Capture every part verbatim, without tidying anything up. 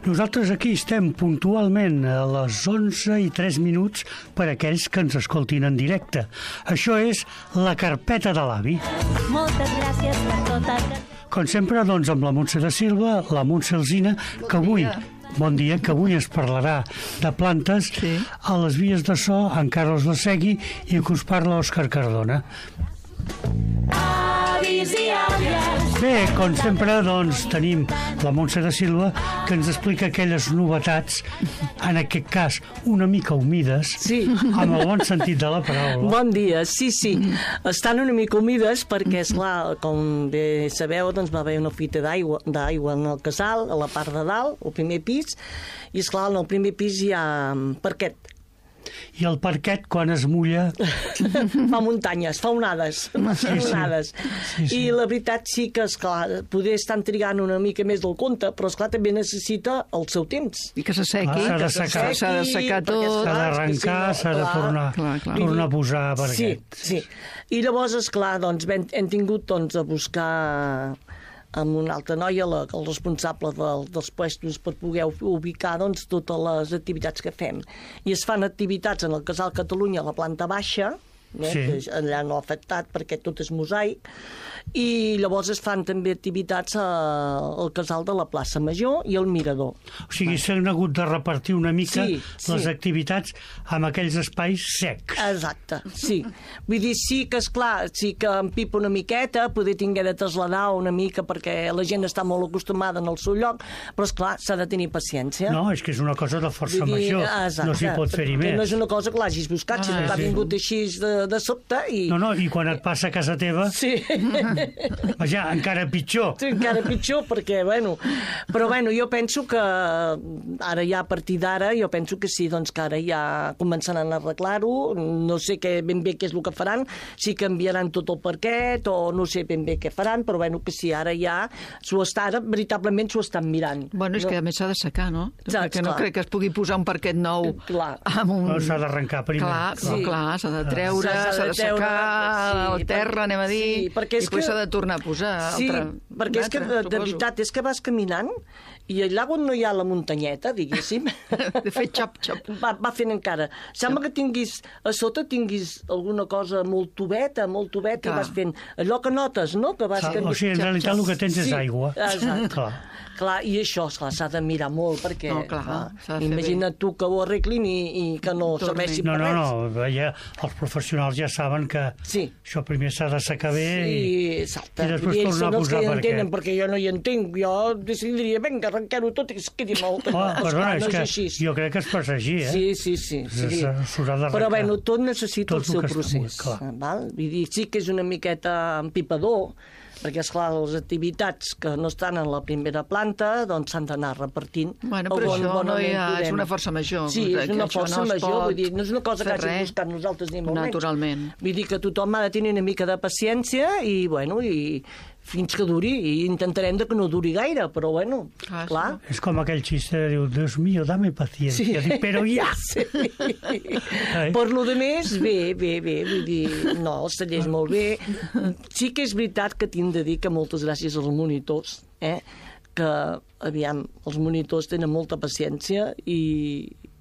Nosaltres aquí estem puntualment a les onze i tres minuts per aquells que ens escoltin en directe. Això és La Carpeta de l'Avi. Moltes gràcies per tot el que... Com sempre, doncs, amb la Montse de Silva, la Montse Alsina, que avui... Bon dia, que avui es parlarà de plantes. Sí. A les vies de so, en Carlos Lasegui, i que us parla Òscar Cardona. Avis i àvies. Bé, com sempre, doncs, tenim la Montse de Silva, que ens explica aquelles novetats, en aquest cas, una mica humides, sí, amb el bon sentit de la paraula. Bon dia, sí, sí. Estan una mica humides perquè, esclar, com bé sabeu, doncs va haver una fuita d'aigua d'aigua en el casal, a la part de dalt, al primer pis, i, esclar, en el primer pis hi ha parquet. I el parquet, quan es mulla... Fa muntanyes, fa onades, fa sí, onades. Sí, sí. I la veritat sí que, esclar, poder estar trigant una mica més del compte, però, esclar, també necessita el seu temps. I que s'assequi. S'ha de secar. S'ha de secar tot. S'ha d'arrencar, s'ha de tornar, clar, clar. tornar a posar parquet. Sí, sí. I llavors, esclar, doncs, hem, hem tingut doncs, a buscar... amb una altra noia, la, el responsable del, dels puestos, per poder ubicar doncs, totes les activitats que fem. I es fan activitats en el Casal Catalunya a la planta baixa, eh, sí. que allà no ha afectat perquè tot és mosaic, i llavors es fan també activitats a, al Casal de la plaça Major i al Mirador. O sigui, s'han hagut de repartir una mica sí, sí. les activitats amb aquells espais secs. Exacte, sí. Vull dir, sí que, esclar, sí que em pipa una miqueta, poder tinguer de traslladar una mica perquè la gent està molt acostumada en el seu lloc, però, esclar, s'ha de tenir paciència. No, és que és una cosa de força dir, major, exacte, no s'hi pot fer-hi més. No és una cosa que l'hagis buscat, ah, sinó que sí. ha vingut així de, de sobte i... No, no, i quan et passa a casa teva... Sí. Vaja, encara pitjor. Sí, encara pitjor, perquè, bueno... Però, bueno, jo penso que ara ja, a partir d'ara, jo penso que sí, doncs que ara ja començaran a arreglar-ho, no sé què, ben bé què és el que faran, si canviaran tot el parquet o no sé ben bé què faran, però, bueno, que sí, ara ja s'ho està, ara, veritablement s'ho estan mirant. Bueno, és no? que a més s'ha de secar, no? Exacte, perquè no clar. crec que es pugui posar un parquet nou clar. amb un... No, s'ha d'arrencar primer. Clar, sí. clar, s'ha de treure, s'ha de secar sí, el terra, anem a dir, sí, i després s'ha de tornar a posar. Sí, altra, perquè és que, de, de suposo. veritat, és que vas caminant i allà on no hi ha la muntanyeta, diguéssim... De fer xap-xap. Va, va fent encara. Sembla que tinguis, a sota tinguis alguna cosa molt tubeta, molt tubeta, i vas fent allò que notes, no? Que vas Clar, o sigui, en realitat el que tens sí, és aigua. Exacte. Clar. Clar, i això, esclar, s'ha de mirar molt, perquè No, clar, clar, imagina't tu que ho arreglin i, i que no Torni. serveixi No, per no, res. no, ja, els professionals ja saben que Sí. això primer s'ha de secar bé Sí, i, exacte. i després I ells tornar són a els que posar hi parquet. entenen, perquè jo no hi entenc. Jo decidiria, vinga, arrenquem-ho tot i que es quedi molt. Oh, perdona, no és que així. jo crec que es passa així, eh? Sí, sí, sí. sí. S'haurà d'arrencar. Però, bueno, tot necessita Tot el seu el que es procés. pugui, clar. Val? Vull dir, sí que és una miqueta empipador, perquè, esclar, les activitats que no estan en la primera planta doncs s'han d'anar repartint. Bueno, però bon, això no hi ha, podem. és una força major. Sí, és que una això força no es major, pot vull dir, no és una cosa que fer hàgim res. buscat nosaltres ni molt menys. Naturalment. Vull dir que tothom ha de tenir una mica de paciència i, bueno, i fins que duri, i intentarem de que no duri gaire, però, bueno, Ah, clar. És com aquell xiste que diu, Dios mío, dame paciencia, sí. Però ja. Sí. Per lo de més, bé, bé, bé, vull dir, no, els tallers molt bé. Sí que és veritat que tinc de dir que moltes gràcies als monitors, eh, que, aviam, els monitors tenen molta paciència i,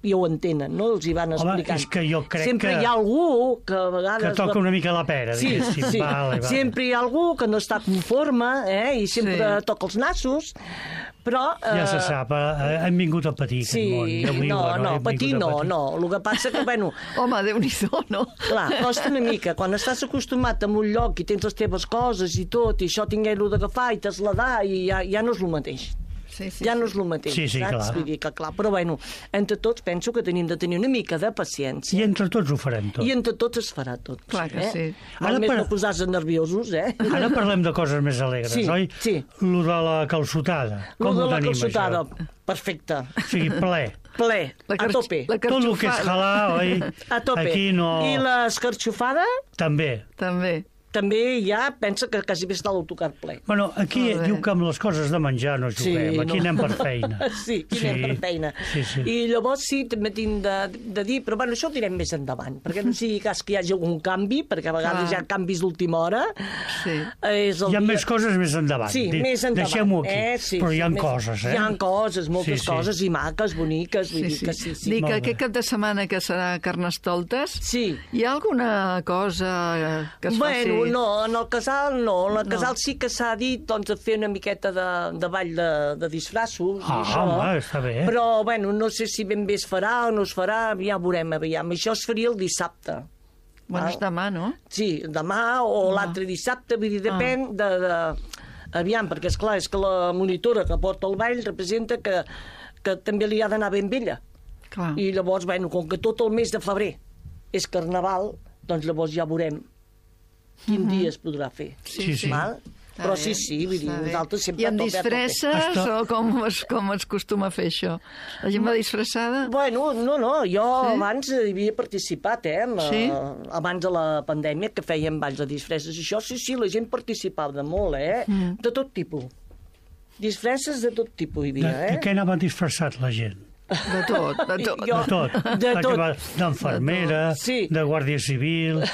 i ho entenen, no? Els hi van explicant. Home, és que jo crec sempre que... hi ha algú que a vegades... Que toca una mica la pera, sí, diguéssim. sí. Vale, vale. Sempre hi ha algú que no està conforme, eh, i sempre Sí. toca els nassos, però... Ja se eh, sap, eh, hem vingut a patir aquest Sí, món. Ja ho diu, no, bueno, no, hem patir vingut a no, patir. no. El que passa que, bueno, Home, Déu-n'hi-do, no? clar, costa una mica. Quan estàs acostumat a un lloc i tens les teves coses i tot, i això tinguer-ho d'agafar i traslladar, i ja, ja no és el mateix. Sí, sí, ja no sí. és el mateix, Sí, sí, saps? clar. Vull dir que, clar, però, bueno, entre tots penso que tenim de tenir una mica de paciència. I entre tots ho farem tot. I entre tots es farà tot. Clar que eh? sí. Ara Ara més per- no posar-se nerviosos, eh? Ara parlem de coses més alegres, Sí, oi? sí. Lo de la calçotada. Lo Com de ho la tenim, calçotada, això? perfecte. O sigui, ple. Ple, La a car- tope. la Tot el que és carxofada. halà, oi? A tope. Aquí no... I l'escarxofada? També. També. també ja pensa que quasi bé està l'autocar ple. Bueno, aquí diu que amb les coses de menjar no juguem, Sí, aquí no. anem per feina. Sí, aquí sí. anem per feina. Sí, sí. I llavors sí, també tinc de, de dir, però bueno, això ho direm més endavant, perquè no sigui cas que hi hagi algun canvi, perquè a vegades Clar. hi ha canvis d'última hora. Sí. És el Hi ha dia... més coses més endavant. Sí, Di- més endavant. Deixem-ho aquí. Eh? Sí, però hi ha més... coses, eh? Hi ha coses, moltes Sí, sí. coses, i maques, boniques, vull Sí, dir sí. que sí, sí. Dic que Molt bé. aquest cap de setmana que serà Carnestoltes, Sí. hi ha alguna cosa que es Bueno, faci... no, en el casal no. En el No. casal sí que s'ha dit doncs, de fer una miqueta de, de ball de, de disfraços. i Ah, això. home, està bé. Però, bueno, no sé si ben bé es farà o no es farà, ja veurem, aviam. Això es faria el dissabte. Bueno, Ah. és demà, no? Sí, demà o l'altre dissabte, vull dir, depèn de, de... Aviam, perquè, és clar és que la monitora que porta el ball representa que, que també li ha d'anar ben vella. Clar. I llavors, bueno, com que tot el mes de febrer és carnaval, doncs llavors ja veurem quin dia es podrà fer. Sí, sí. Val? Està Però bé, sí, sí, vull dir, està bé. nosaltres sempre... I amb a tope, a tope. disfresses Està- o com es, com es costuma fer això? La gent va disfressada? Bueno, no, no, jo Sí? abans hi havia participat, eh? Amb, Sí? eh, abans de la pandèmia, que fèiem balls de disfresses. I això, sí, sí, la gent participava de molt, eh? Mm. De tot tipus. Disfresses de tot tipus hi De, havia, de eh? què anava disfressat la gent? De tot, de tot. Jo- De tot. De La que tot. va D'enfermera, Sí. de guàrdia civil...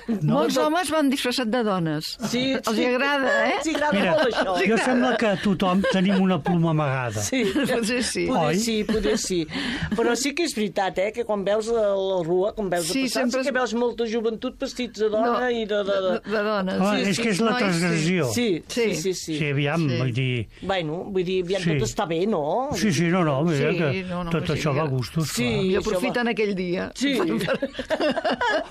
No? Molts homes van disfressats de dones. Sí, Els sí. agrada, eh? Sí, agrada Mira, molt això. jo sembla que tothom tenim una ploma amagada. Sí. Potser sí. Poder Oi? sí, poder sí. Però sí que és veritat, eh, que quan veus la, la rua, quan veus Sí, de passar, sempre sí que es- veus molta joventut vestits de dona No, i de... de, de... de, de dones. Home, sí, és sí, que és la nois, sí. transgressió. Sí, sí, Sí. sí, sí. Sí, aviam, Sí. vull dir... Bueno, vull dir, aviam, Sí. tot està bé, no? Sí, sí, no, no, mira Sí, que no, no, tot que sí, això va a que- gustos, Sí. clar. I això aprofiten aquell dia. Sí.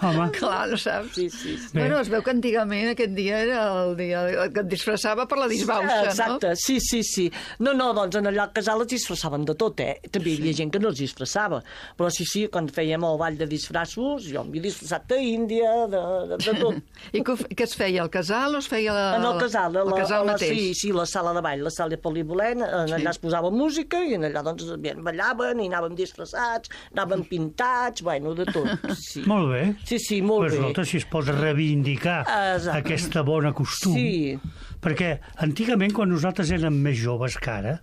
Home, Clar, no saps? Sí, sí, sí. Bé. Bueno, es veu que antigament aquest dia era el dia que et disfressava per la disbauxa, Exacte, sí, sí, sí. No, no, doncs en allà al casal es disfressaven de tot, eh? També hi havia gent que no es disfressava. Però sí, sí, quan fèiem el ball de disfressos, jo m'he disfressat d'Índia, de, de, de tot. no? I què, ho fe- què es feia, al casal o es feia la, En el casal, a al la, casal a la, mateix? sí, sí, la sala de ball, la sala polivolent, en allà es posava música i en allà doncs bien, ballaven i anàvem disfressats, anàvem pintats, bueno, de tot. Sí, molt bé. sí, sí molt Pues, bé. escolta, si es pot reivindicar Exacte. aquesta bona costum. Sí. Perquè antigament, quan nosaltres érem més joves que ara,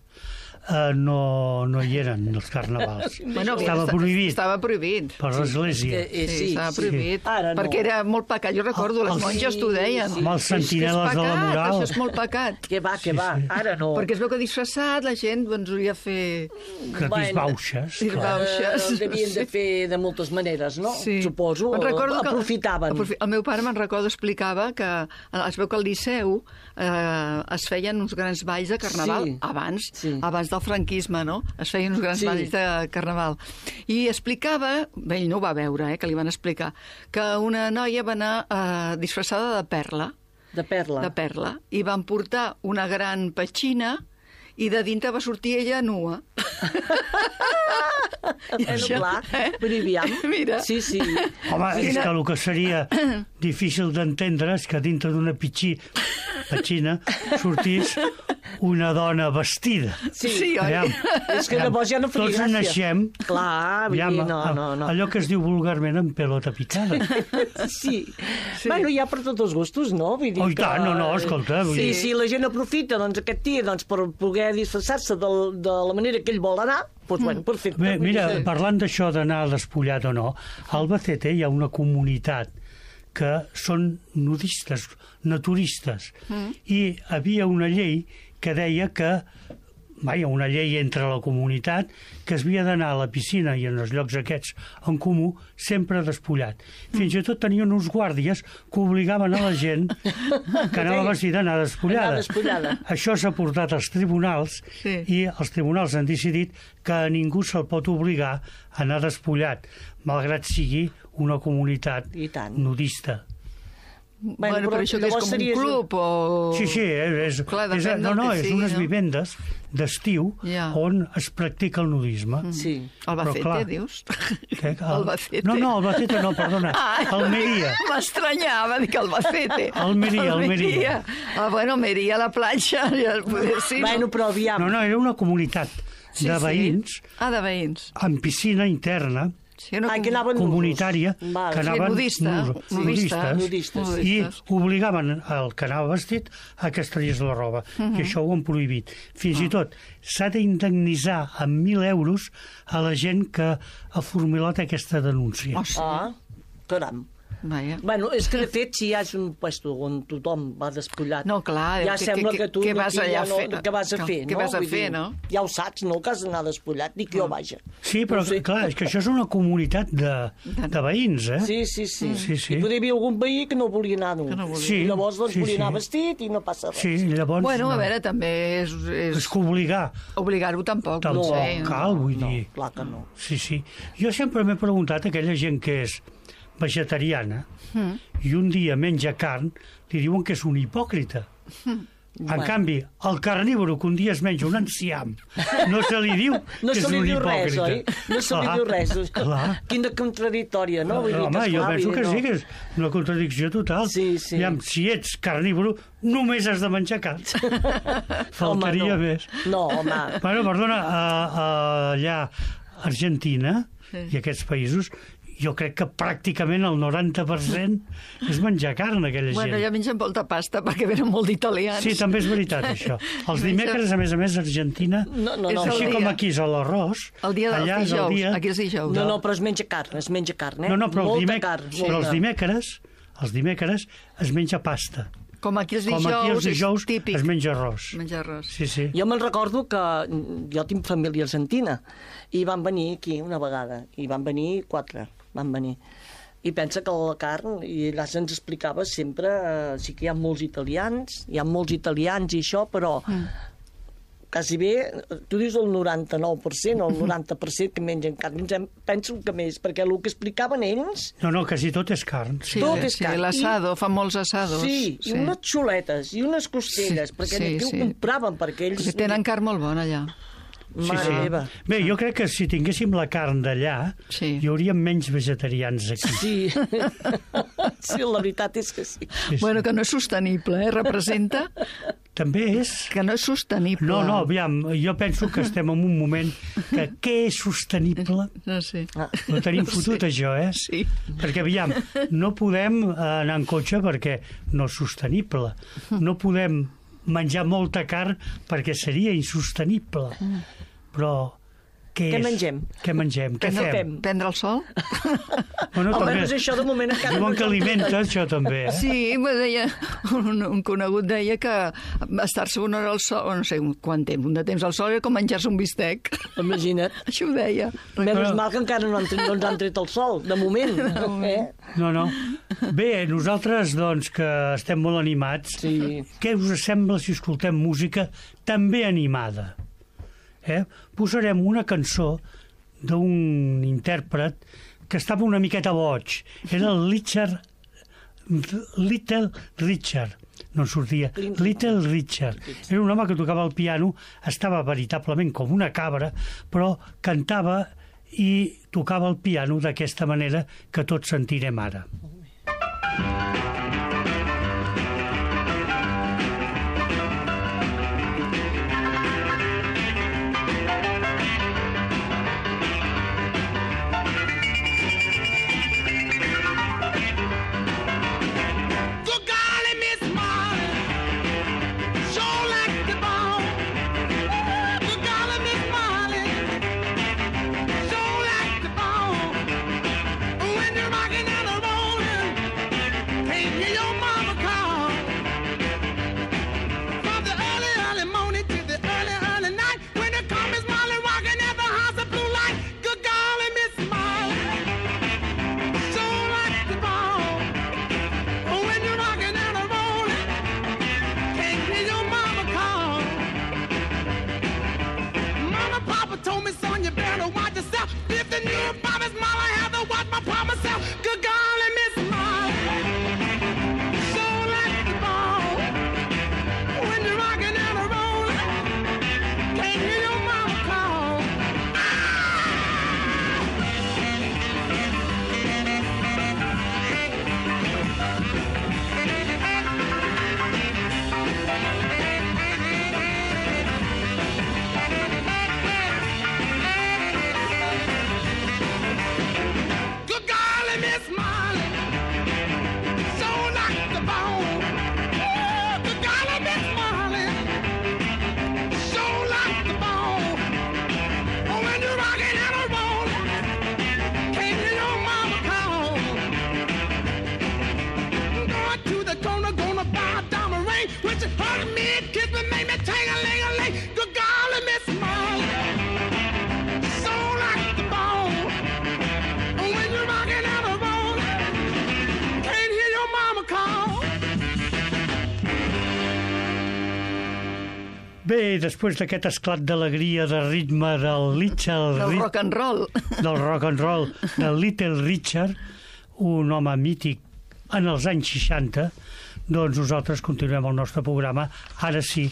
eh, no, no hi eren els carnavals. Bueno, Estava esta- prohibit Estava prohibit. per l'Església. Eh, eh, Sí, sí, estava sí. prohibit. Ara no. Perquè era molt pecat. Jo recordo, les Els- monges t'ho deien. Sí, Amb els És que és sentineles de la pecat, moral. Això és molt pecat. Que va, que va, ara no. Perquè es veu que disfressat la gent doncs, volia fer... Que Bueno, disbauxes, clar. disbauxes. Eh, devien de fer de moltes maneres, no? Sí. Suposo, Me'n recordo que- aprofitaven. aprofi- El meu pare, me'n recordo, explicava que eh, es veu que al Liceu eh, es feien uns grans balls de carnaval Sí. abans, Sí. abans del franquisme, no? Es feien uns grans Sí. balls de carnaval. I explicava, bé, ell no ho va veure, eh, que li van explicar, que una noia va anar eh, disfressada de perla, De perla. de perla, i van portar una gran petxina i de dintre va sortir ella nua. I Bueno, això, clar, eh? però aviam. Mira. Sí, sí. Home, és Quina- que el que seria difícil d'entendre és que dintre d'una pitxí, petxina sortís una dona vestida. Sí, Sí, oi? Aviam, És que llavors ja no faria tots gràcia. naixem Clar, vull aviam, dir, no, no, no. allò que es diu vulgarment amb pelota picada. Sí. sí. Bueno, hi ha per tots els gustos, no? Vull dir Oh, i tant, no, no, escolta, vull Sí, dir- sí, la gent aprofita doncs, aquest dia doncs, per poder disfressar-se de, de la manera que ell vol anar, doncs, bueno, perfecte. Bé, Vull mira, dir, parlant d'això d'anar despullat o no, a Albacete hi ha una comunitat que són nudistes, naturistes, mm. i havia una llei que deia que, vaja, una llei entre la comunitat, que es havia d'anar a la piscina i en els llocs aquests en comú sempre despullat. Fins i tot tenien uns guàrdies que obligaven a la gent que anava vestida a anar despullada. Anar despullada. Això s'ha portat als tribunals Sí. i els tribunals han decidit que a ningú se'l pot obligar a anar despullat, malgrat sigui una comunitat I tant. nudista. Bueno, Bueno, però, però això que és llavors com un seria- club o... Sí, sí, és, és, Clar, és, depèn no, del no, que és sigui, unes no? vivendes d'estiu Ja. on es practica el nudisme. Sí. Albacete, Però, clar, dius? Què? El- Albacete. No, no, Albacete no, perdona. Ai, Almeria. M'estranyava, dic Albacete. Almeria, Almeria. Ah, bueno, Almeria, a la platja, ja poder sí. Bueno, però aviam. No, no, era una comunitat Sí, de sí. veïns Ah, de veïns. amb piscina interna Sí, una Ai, que anaven comunitària, Val. que Sí, anaven nudista, nus- nudistes. Nudistes. i Nudistes. obligaven el que anava vestit a que es tragués la roba. Mhm. I això ho han prohibit. Fins Ah. i tot s'ha d'indemnitzar amb mil euros a la gent que ha formulat aquesta denúncia. Oh, sí. Ah, caram. Vaja. Bueno, és que de fet, si hi ha un puesto on tothom va despullat, No, clar, ja que- sembla que- que tu què vas aquí allà ja a no, fer? què vas a Què- fer, què no? vas a Vull fer, dir, no? Ja ho saps, no?, que has d'anar despullat, dic jo, vaja. Sí, però No sé. clar, és que això és una comunitat de, de veïns, eh? Sí, sí, sí. Sí, sí. I podria haver algun veí que no volia anar dur. Que no volia. Sí, I llavors doncs, sí, volia anar sí. vestit i no passa res. Sí, llavors... Bueno, a no. veure, també és... és... És que obligar Obligar-ho tampoc. tampoc potser. cal, vull No, dir. clar que no. Sí, sí. Jo sempre m'he preguntat a aquella gent que és vegetariana Mm. i un dia menja carn, li diuen que és un hipòcrita. En Bueno. canvi, el carnívoro que un dia es menja un enciam, no se li diu No que se és li un diu res, hipòcrita. oi? No se li Clar, diu res. clar. Quina contradictòria, no? Vull dir Home, que, jo esclar, penso vull que dir, sí, no. que és una contradicció total. Sí, sí. Aviam, si ets carnívoro, només has de menjar carn. Faltaria Home, no. més. No, home. Bueno, perdona, a, a, allà, Argentina Sí. i aquests països, jo crec que pràcticament el noranta per cent és menjar carn, aquella Bueno, gent. ja mengen molta pasta perquè venen molt d'italians. Sí, també és veritat, això. Els dimecres, a més a més, a Argentina, No, no, És no. el així dia. com aquí és l'arròs, El dia dels allà és el dijous. dia... Aquí és dijous. No, no, però es menja carn, es menja carn, eh? No, no, però, els, molta dimec... carn, però els molta. dimecres, els dimecres es menja pasta. Com aquí els Com dijous, aquí els dijous és típic. es menja arròs. Menjar arròs. Sí, sí. Jo me'n recordo que jo tinc família argentina i van venir aquí una vegada, i van venir quatre, van venir. I pensa que la carn, i allà se'ns explicava sempre, eh, sí que hi ha molts italians, hi ha molts italians i això, però mm. quasi bé, tu dius el noranta-nou per cent o el noranta per cent que mengen carn, em penso que més, perquè el que explicaven ells... No, no, quasi tot és carn. Sí, Tot és sí, carn. l'assado, fan molts assados. Sí, i unes xuletes, i unes costelles, Sí, perquè sí, aquí sí. ho compraven, perquè ells... Perquè tenen carn molt bona allà. Sí, Mare sí. meva. Bé, jo crec que si tinguéssim la carn d'allà, Sí. hi hauria menys vegetarians aquí. Sí, sí, la veritat és que sí. Sí, sí. Bueno, que no és sostenible, eh? Representa També és... que no és sostenible. No, no, aviam, jo penso que estem en un moment que què és sostenible? No sé. Ah. Ho tenim fotut, això, eh? Sí. Perquè, aviam, no podem eh, anar en cotxe perquè no és sostenible. No podem menjar molta carn perquè seria insostenible. Però què Què és? mengem? Què mengem? Què no fem? fem? Prendre el sol? Bueno, també, Almenys això de moment encara diuen no que ens alimenta, això també, eh? Sí, me deia, un, un conegut deia que estar-se una hora al sol, o no sé quant temps, un de temps al sol era com menjar-se un bistec. Imagina't. Això ho deia. Menys mal que encara no, han, tret- no ens han tret el sol, de moment. Eh? No, no. Bé, nosaltres, doncs, que estem molt animats, Sí. què us sembla si escoltem música també animada? Eh? Posarem una cançó d'un intèrpret que estava una miqueta boig. Era el Richard, Little Richard. No en sortia. Little Richard. Era un home que tocava el piano, estava veritablement com una cabra, però cantava i tocava el piano d'aquesta manera que tots sentirem ara. Good golly, Miss Molly, sure like the bone. Good golly, Miss Molly, sure like the bone. When you're rocking and a rolling, can't Bé, després d'aquest esclat d'alegria, de ritme del Little... Del rock and roll. Del rock and roll, del Little Richard, un home mític en els anys seixanta, doncs nosaltres continuem el nostre programa, ara sí,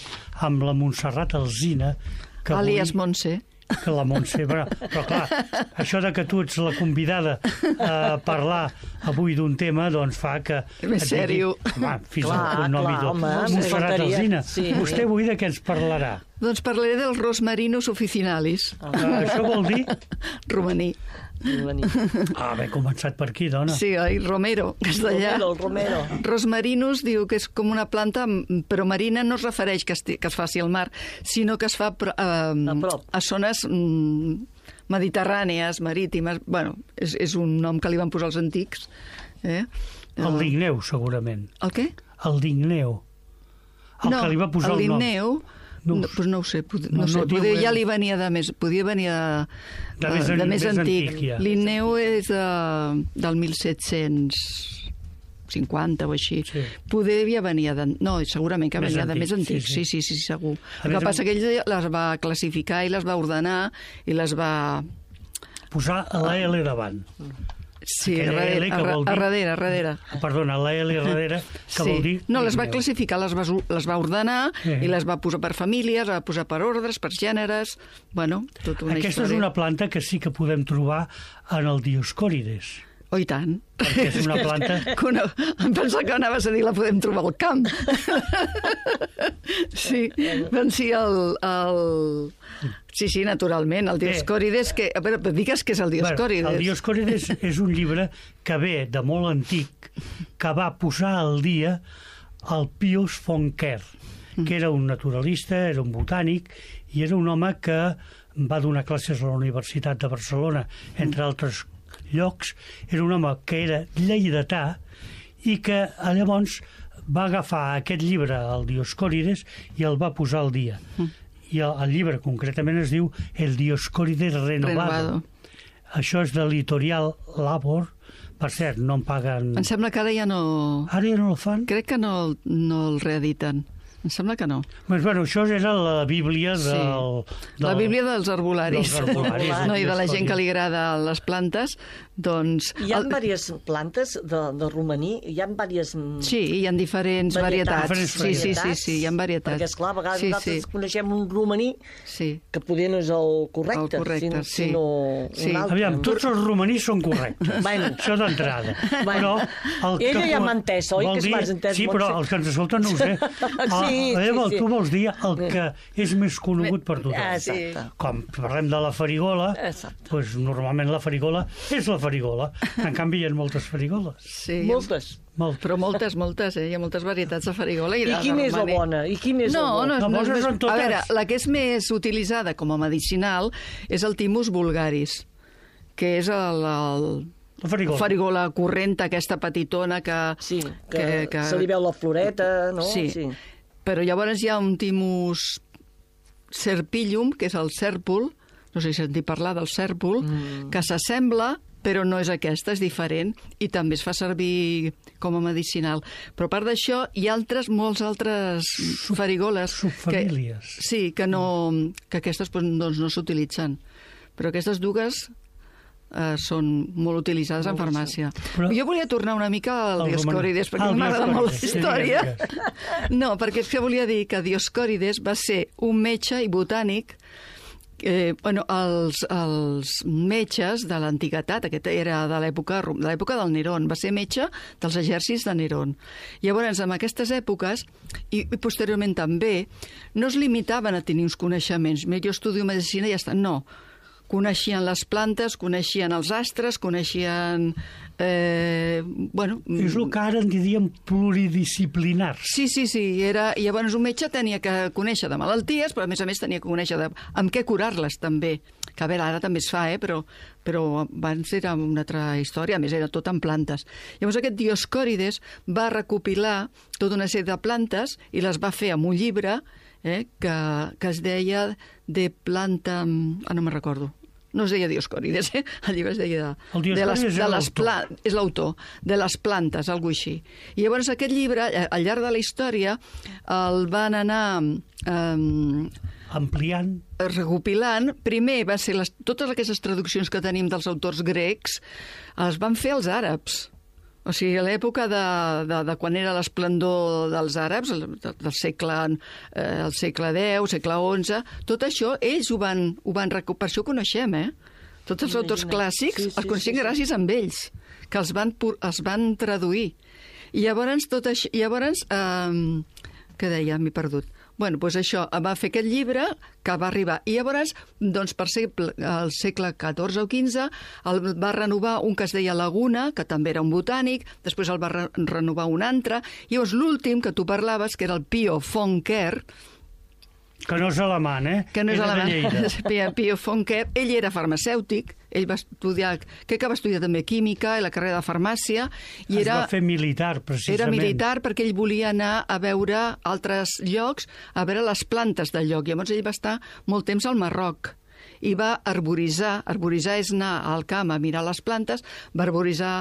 amb la Montserrat Alsina, que avui... Alias Montse. Que la Montse, però, però clar, això de que tu ets la convidada a parlar avui d'un tema, doncs fa que... Més sèrio. Home, fins Clar, al cognom i clar, tot. home, Montserrat faltaria. Alsina, Sí. vostè avui de què ens parlarà? Doncs parlaré dels rosmarinus officinalis. Ah, això vol dir... Romaní. Ah, bé, començat per aquí, dona. Sí, oi? Romero, castellà. Romero, el Romero. Rosmarinus diu que és com una planta, però marina no es refereix que es, que es faci al mar, sinó que es fa eh, A prop. a zones mm, mediterrànies, marítimes. Bueno, és, és un nom que li van posar els antics. Eh? El ligneu, segurament. El què? El ligneu. El no, que li va posar el el nom. ligneu, No no, ho sé. pues no ho sé, pod No, no, sé, no diu poder, res. ja li venia de més, podia venir de, De més de, an- més més antic. antic, ja. Linneu és de, del mil set-cents cinquanta o així. Sí. Poder venia de... No, segurament que Més venia de antic, més antic, sí, sí, sí. sí, sí, sí segur. A El més, que passa que ell les va classificar i les va ordenar i les va... Posar la L davant. Sí, a Aquella darrere, L que a, vol a dir- darrere, a darrere. Perdona, la L darrere, que vol dir... No, les va ligneu. classificar, les va, les va ordenar Sí. i les va posar per famílies, les va posar per ordres, per gèneres, bueno, tota una Aquesta història. és una planta que sí que podem trobar en el Dioscòrides, Oh, i tant. perquè és una planta... Que una... Em pensava que anaves a dir la podem trobar al camp. Sí, doncs sí, el... el... Sí, sí, naturalment, el Dioscòrides, que... A veure, digues què és el Dioscòrides. Bueno, el Dioscòrides és un llibre que ve de molt antic, que va posar al dia el Pius von Ker, que era un naturalista, era un botànic, i era un home que va donar classes a la Universitat de Barcelona, entre altres llocs. Era un home que era lleidatà i que llavors va agafar aquest llibre, el Dioscòrides, i el va posar al dia. I el, el llibre concretament es diu El Dioscòrides Renovado. Renovado. Això és de l'editorial Labor. Per cert, no em paguen... Em sembla que ara ja no... Ara ja no el fan? Crec que no, el- no el reediten. Em sembla que no. Doncs, bueno, això era la Bíblia del... Sí. del La Bíblia dels arbolaris. dels arbolaris, No, i de la gent que li Dioscòrides. agrada les plantes, doncs... Hi ha el- diverses plantes de, de romaní, hi ha diverses... Sí, hi ha diferents varietats. Diferents Sí, sí, sí, varietats, sí, hi ha varietats. Perquè, esclar, a vegades sí, nosaltres sí. coneixem un romaní Sí. que poder no és el correcte, El correcte, sinó, sí. sinó Sí. un altre. Aviam, tots els romanís són correctes. Bueno. Això d'entrada. Però el Ella que ja co- m'ha entès, oi? vol Que és dir- m'has entès, Sí, però Montse. els que ens escolten no ho sé. Sí, Ah, sí, Eva, sí. tu vols dir el que és més conegut per tothom. Exacte. Com parlem de la farigola, Exacte. doncs normalment la farigola és la farigola. En canvi, hi ha moltes farigoles. Sí, Moltes. Molt. Però moltes, moltes, eh? Hi ha moltes varietats de farigola. I, I de quina és la romaní. bona? I quina és no, la bona? no, No, no, moltes és són més... totes. A veure, la que és més utilitzada com a medicinal és el Thymus vulgaris, que és el, el La farigola. farigola corrent, aquesta petitona que... Sí, que, que, se li veu la floreta, no? Sí. sí. Però llavors hi ha un Thymus serpillum, que és el cèrpol, no sé si sentit parlar del cèrpol, mm. que s'assembla, però no és aquesta, és diferent, i també es fa servir com a medicinal. Però a part d'això, hi ha altres, molts altres farigoles... subfamílies. Que, sí, que, no, que aquestes doncs, no s'utilitzen. Però aquestes dues eh, són molt utilitzades en farmàcia. Però- Jo volia tornar una mica al Al Dioscòrides, romaní. perquè Ah, al m'agrada molt la Dioscòrides, sí, història. digues, No, perquè és que volia dir que Dioscòrides va ser un metge i botànic. Eh, bueno, els, els metges de l'antiguitat, aquest era de l'època de l'època del Nerón, va ser metge dels exèrcits de Nerón. Llavors, en aquestes èpoques, i, i posteriorment també, no es limitaven a tenir uns coneixements. Mira, jo estudio medicina i ja està. No, coneixien les plantes, coneixien els astres, coneixien... Eh, bueno, És el que ara en diríem pluridisciplinars. Sí, sí, sí. Era... I llavors un metge tenia que conèixer de malalties, però a més a més tenia que conèixer de... amb què curar-les, també. Que a veure, ara també es fa, eh? però, però abans era una altra història, a més era tot en plantes. Llavors aquest Dioscòrides va recopilar tota una sèrie de plantes i les va fer amb un llibre eh? que, que es deia De planta... Ah, no me'n recordo. no es deia Dioscòrides, eh? El llibre es deia... El de les, Dioscòrides de és les pla... és l'autor, de les plantes, alguna així. I llavors aquest llibre, al llarg de la història, el van anar... Eh, ampliant. recopilant. Primer va ser les, totes aquestes traduccions que tenim dels autors grecs, les van fer els àrabs. O sigui, a l'època de, de, de quan era l'esplendor dels àrabs, del, del segle, eh, el segle deu, segle onze, tot això ells ho van, ho van recuperar. Per això ho coneixem, eh? Tots els autors clàssics sí, sí, els coneixem sí, sí. gràcies a ells, que els van, els van traduir. I llavors, tot això, llavors eh, què deia? M'he perdut. Bueno, doncs això, va fer aquest llibre que va arribar. I llavors, doncs, per ser el segle catorze o quinze, el va renovar un que es deia Laguna, que també era un botànic, després el va re renovar un altre, i llavors l'últim que tu parlaves, que era el Pio von Ker, que no és alemany, eh? Que no és era alemany. Pio von Ker, ell era farmacèutic, ell va estudiar, crec que va estudiar també química i la carrera de farmàcia. I es era, va fer militar, precisament. Era militar perquè ell volia anar a veure altres llocs, a veure les plantes del lloc. Llavors ell va estar molt temps al Marroc i va arboritzar. Arboritzar és anar al camp a mirar les plantes, va arboritzar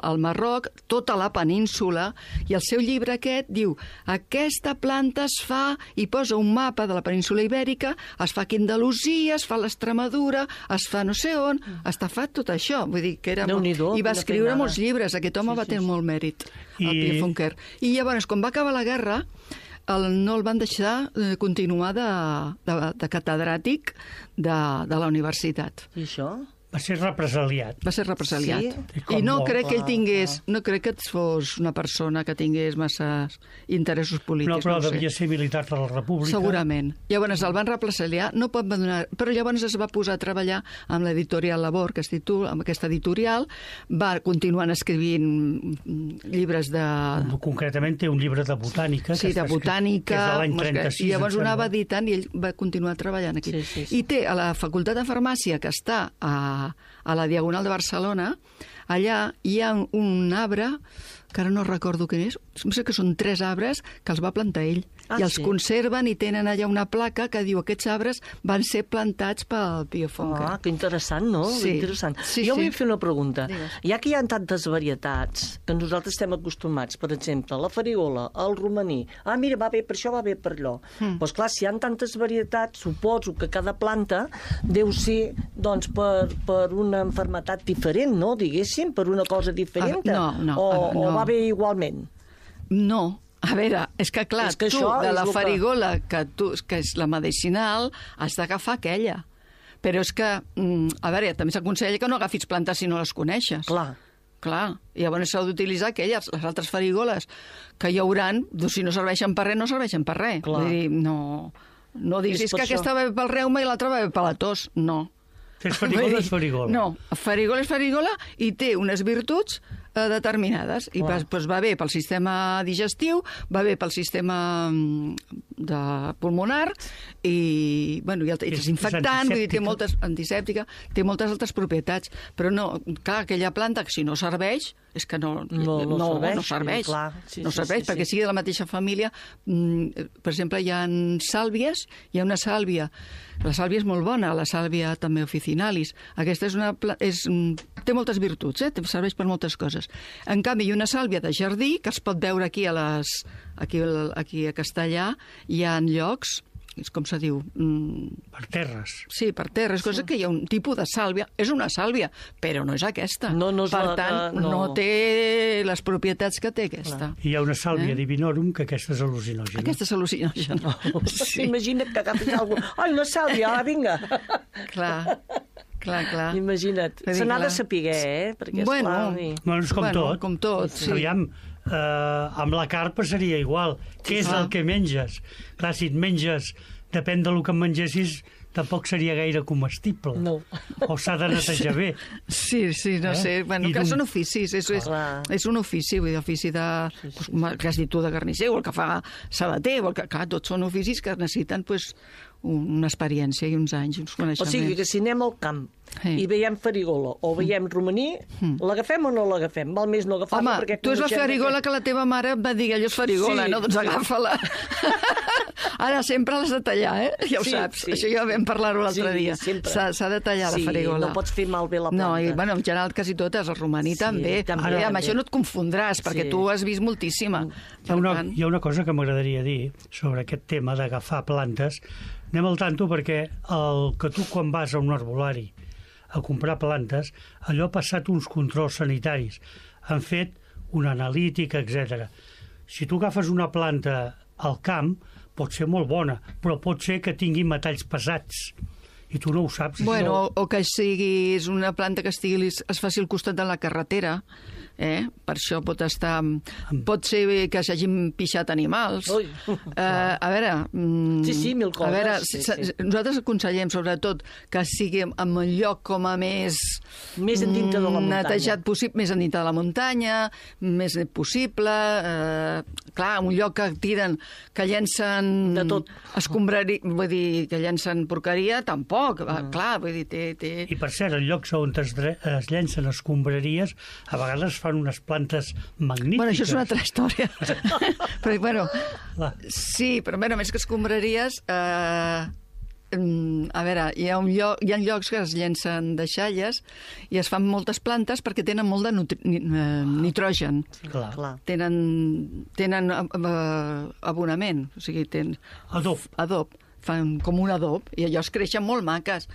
al Marroc, tota la península, i el seu llibre aquest diu aquesta planta es fa, i posa un mapa de la península ibèrica, es fa aquí a Andalusia, es fa a l'Extremadura, es fa no sé on, està fet tot això. Vull dir que era molt... I va escriure molts llibres, aquest home sí, va tenir sí. molt mèrit, el I... Pio von Ker. I llavors, quan va acabar la guerra, el, no el van deixar eh, continuar de, de, de catedràtic de, de la universitat. I això? Va ser represaliat. Va ser represaliat. Sí? I, I no molt, crec clar, que ell tingués... clar. No crec que fos una persona que tingués massa interessos polítics. No, però no devia ser militar de la República. Segurament. Llavors el van represaliar, no pot abandonar... Però llavors es va posar a treballar amb l'editorial Labor, que es titula, amb aquesta editorial, va continuant escrivint llibres de... Concretament té un llibre de botànica. Sí, de botànica. Que és de l'any trenta-sis. I llavors ho anava editant i ell va continuar treballant aquí. Sí, sí, sí. I té a la Facultat de Farmàcia, que està a a la Diagonal de Barcelona, allà hi ha un arbre, que ara no recordo quin és, sembla que són tres arbres que els va plantar ell. Ah, I els sí? conserven i tenen allà una placa que diu aquests arbres van ser plantats pel Pio von Ker. Ah, que interessant, no? Sí. Interessant. Sí, jo sí. vull fer una pregunta. Digues. Ja que hi ha tantes varietats que nosaltres estem acostumats, per exemple, la farigola, el romaní, ah, mira, va bé per això, va bé per allò. Mm. Doncs clar, si hi ha tantes varietats, suposo que cada planta deu ser, doncs, per, per una enfermetat diferent, no? Diguéssim, per una cosa diferent. Ah, no, no, o, no. o va bé igualment? No. A veure, és que clar, és que tu, de la que... farigola, que, tu, que és la medicinal, has d'agafar aquella. Però és que, a veure, també s'aconsella que no agafis plantes si no les coneixes. Clar. Clar, i llavors s'ha d'utilitzar aquelles, les altres farigoles que hi hauran, doncs si no serveixen per res, no serveixen per res. Clar. Vull dir, no, no diguis és que això. Aquesta va bé pel reuma i l'altra va bé per la tos. No. Fes farigola és farigola. No, farigola és farigola i té unes virtuts eh, determinades. I va, doncs va bé pel sistema digestiu, va bé pel sistema de pulmonar i, bueno, i el, és desinfectant, vull dir, té moltes, antisèptica, té moltes altres propietats. Però no, clar, aquella planta que si no serveix, és que no, no, no, no serveix. No serveix, sí, clar. Sí, no sí, serveix sí, perquè sí. sigui de la mateixa família. Per exemple, hi ha sàlvies, hi ha una sàlvia, la sàlvia és molt bona, la sàlvia també officinalis. Aquesta és una, és, té moltes virtuts, eh? Serveix per moltes coses. En canvi, hi ha una sàlvia de jardí, que es pot veure aquí a, les, aquí, aquí a Castellà, hi ha llocs, és com se diu... Mm, per terres. Sí, per terres, cosa sí. que hi ha un tipus de sàlvia. És una sàlvia, però no és aquesta. No, no és per la, tant, no. no té les propietats que té aquesta. Hi ha una sàlvia eh? divinorum, que aquesta és al·lucinògena. Aquesta és al·lucinògena. Sí. Imagina't que agafis alguna cosa. Ai, una sàlvia, ah, vinga. Clar. Clar, clar. Imagina't. Se n'ha de saber, eh? Perquè, bueno, esclar, i... bueno, és com bueno, tot. Com tot, sí. Aviam, eh, amb la carpa seria igual. Què és clar. el que menges? Clar, si et menges, depèn del que em mengessis, tampoc seria gaire comestible. No. O s'ha de netejar bé. Sí, sí, no eh? sé. Bueno, I que d'un... són oficis. És, és, és un ofici, vull dir, ofici de... Sí, sí, sí. Pues, que has dit tu de carnisser, o el que fa sabater, o el que... Clar, tots són oficis que necessiten, pues, una experiència i uns anys, uns coneixements. O sigui, que si anem al camp sí. i veiem farigola o veiem romaní, mm. l'agafem o no l'agafem? Val més no agafar-la perquè... Home, tu és la farigola que... que la teva mare va dir, allò és farigola, sí, no? Doncs agafa-la. Ara sempre l'has de tallar, eh? Ja ho sí, saps, sí. això ja ho vam vam parlar-ho l'altre Sí, dia. sempre. S'ha s'ha de tallar Sí, la farigola. no pots fer malbé la No, i, planta. bueno, en general quasi totes, el romaní Sí, també. també, Ara, amb també. això no et confondràs, perquè Sí. tu has vist moltíssima. Hi ha, una, hi ha una cosa que m'agradaria dir sobre aquest tema d'agafar plantes. Anem al tanto perquè el que tu quan vas a un arbolari a comprar plantes, allò ha passat uns controls sanitaris. Han fet una analítica, etcètera. Si tu agafes una planta al camp, pot ser molt bona, però pot ser que tingui metalls pesats. I tu no ho saps. Bueno, això. o, o que siguis una planta que estigui, es faci al costat de la carretera, eh? Per això pot estar... Pot ser que s'hagin pixat animals. Ui. Eh, a veure... mm, Sí, sí, mil A veure, coses, sí, s- sí. nosaltres aconsellem, sobretot, que sigui en un lloc com a més... Més endintre de la mm, muntanya. Netejat possible, més endintre de la muntanya, més net possible... Eh, clar, un lloc que tiren, que llencen... De tot. Escombrari, vull dir, que llencen porqueria, tampoc. Mm. Clar, vull dir, té... té... I per cert, en llocs on es, dre- es llencen escombraries, a vegades fan unes plantes magnífiques. Bueno, això és una altra història. però, bueno, Clar. sí, però bueno, més que escombraries... Eh, mm, a veure, hi ha, un lloc, hi ha llocs que es llencen deixalles i es fan moltes plantes perquè tenen molt de nutri, ni, eh, nitrogen. Clar. Clar. Tenen, tenen eh, abonament, o sigui, tenen Adob. adob, fan com un adob, i allò es creixen molt maques.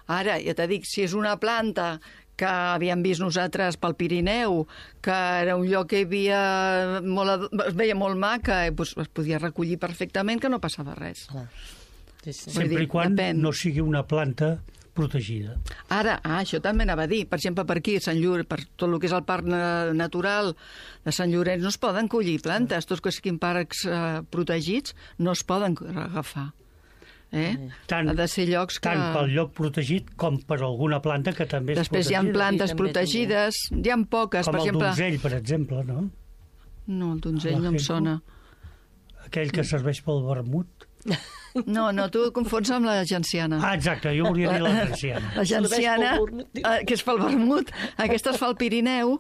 Ara, ja t'he dit, si és una planta que havíem vist nosaltres pel Pirineu, que era un lloc que hi havia molt, ado- es veia molt maca, i doncs es podia recollir perfectament, que no passava res. Clar. Sí, sí. Vull Sempre dir, i quan depèn. no sigui una planta protegida. Ara, ah, això també anava a dir, per exemple, per aquí, a Sant Llorenç, per tot el que és el parc na- natural de Sant Llorenç, no es poden collir plantes, tots que siguin parcs eh, protegits no es poden agafar. Eh? Tant, ha de ser llocs que... tant pel lloc protegit com per alguna planta que també és Després hi ha protegida. plantes Sí, també, protegides, hi ha poques, Com per el exemple... donzell, per exemple, no? No, el donzell La no em Henko. sona. Aquell que serveix pel vermut. No, no, tu confons amb la genciana. Ah, exacte, jo volia dir la genciana. La genciana, Serveix pel vermut. eh, que és pel vermut, aquesta es fa al Pirineu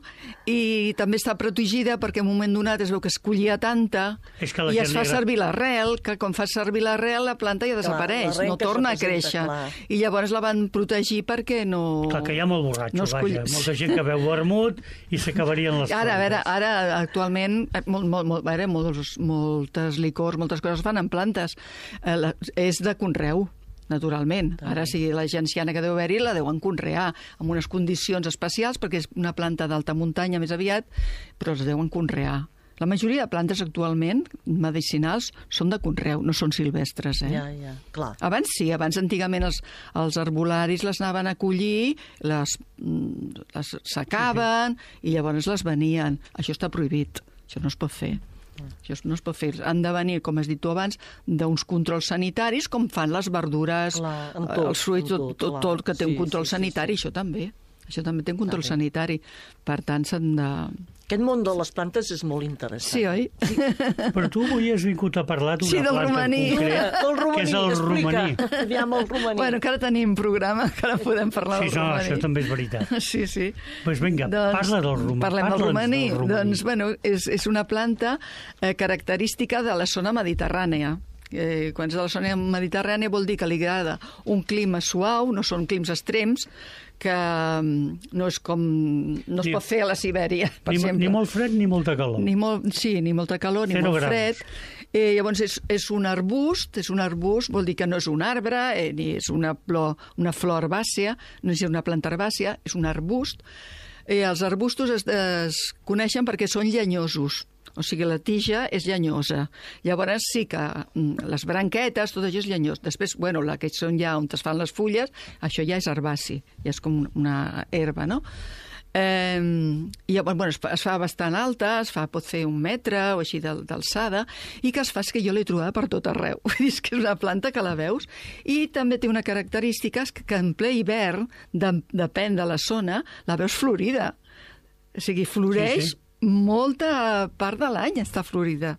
i també està protegida perquè en un moment donat es veu que es collia tanta És que la i gent es li fa agrada- servir l'arrel, que quan fa servir l'arrel la planta ja desapareix, l'arrel no que es torna a representa, créixer. clar. I llavors la van protegir perquè no... Clar, que hi ha molt borratxo, no es vaja. coll- Molta gent que veu vermut i s'acabarien les Ara, a veure, plantes. ara actualment eh, molt, molt, molt, a veure, molts, moltes licors, moltes coses es fan en plantes. Eh, la, és de conreu, naturalment. Ara, si la genciana que deu haver-hi la deuen conrear amb unes condicions especials, perquè és una planta d'alta muntanya més aviat, però es deuen conrear. La majoria de plantes actualment, medicinals, són de conreu, no són silvestres, eh? Ja, ja, clar. Abans sí, abans antigament els, els arbolaris les anaven a collir, les, mm, les secaven i llavors les venien. Això està prohibit, això no es pot fer. Això no es pot fer. Han de venir, com has dit tu abans, d'uns controls sanitaris, com fan les verdures, Clar, amb eh, tot, els fruits, amb tot, tot, tot, clar. tot que té un Sí, control sí, sí, sanitari, sí. això també. Això també té un control Està bé. sanitari. Per tant, s'han de... Aquest món de les plantes és molt interessant. Sí, oi? Però tu avui has vingut a parlar d'una Sí, del planta romaní. en concret, Del romaní, que és el romaní. explica. Aviam el romaní. Bueno, encara tenim programa, encara podem parlar Sí, del no, romaní. això també és veritat. Sí, sí. Doncs vinga, parla del romaní. Parlem del Parla'ns romaní. del romaní. Doncs, bueno, és, és una planta eh, característica de la zona mediterrània. Eh, quan és de la zona mediterrània vol dir que li agrada un clima suau, no són climes extrems, que mm, no és com... no es Ni- pot fer a la Sibèria, per Ni, exemple. ni molt fred ni molta calor. Ni molt, sí, ni molta calor, ni Zero molt graus. fred. Eh, llavors és, és un arbust, és un arbust, vol dir que no és un arbre, eh, ni és una flor, una flor herbàcia, no és una planta herbàcia, és un arbust. Eh, els arbustos es, es coneixen perquè són llenyosos, o sigui, la tija és llenyosa. Llavors sí que mm, les branquetes, tot això és llenyós. Després, bueno, la que són ja on es fan les fulles, això ja és herbaci, ja és com una herba, no? Eh, i llavors, bueno, es fa, es fa bastant alta, es fa, pot fer un metre o així d'al- d'alçada, i que es fa és que jo l'he trobada per tot arreu. Vull dir, és que és una planta que la veus. I també té una característica, és que, que en ple hivern, de, depèn de la zona, la veus florida. O sigui, floreix Sí, sí. molta part de l'any, està florida.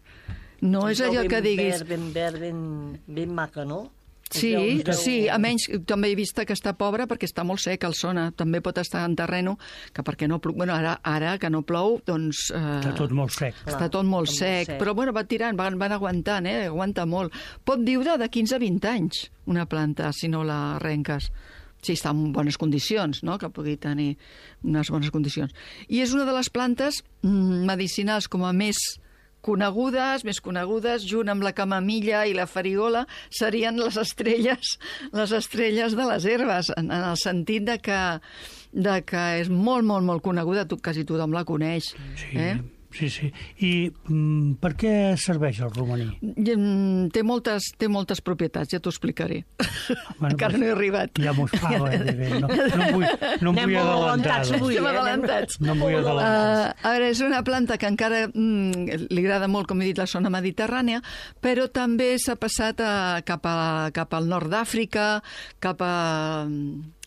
No és allò ben que diguis... Verd, ben verd, ben, ben maca, no? Sí, Us deu- sí, a menys també he vist que està pobra perquè està molt sec el Sona. També pot estar en terreno que perquè no plou. Bueno, ara, ara que no plou, doncs... Eh, Està tot molt sec. Està tot molt està molt sec, sec. però bueno, va tirant, van, van aguantant, eh? Aguanta molt. Pot viure de quinze a vint anys una planta, si no la arrenques. Sí, està en bones condicions, no?, que pugui tenir unes bones condicions. I és una de les plantes mm, medicinals com a més conegudes, més conegudes, junt amb la camamilla i la farigola, serien les estrelles, les estrelles de les herbes, en, en el sentit de que, de que és molt, molt, molt coneguda, tu, quasi tothom la coneix. Sí, Eh? sí, sí. I mm, per què serveix el romaní? I, mm, Té moltes, té moltes propietats, ja t'ho explicaré. Bueno, Encara pues, no he arribat. Ja m'ho fa, bé, bé, bé. No, no em vull, no em Anem vull molt adelantar. adelantats doncs. avui. Estem eh? adelantats. No em vull adelantar. Uh, a veure, és una planta que encara mm, li agrada molt, com he dit, la zona mediterrània, però també s'ha passat a, cap, a, cap al nord d'Àfrica, cap a...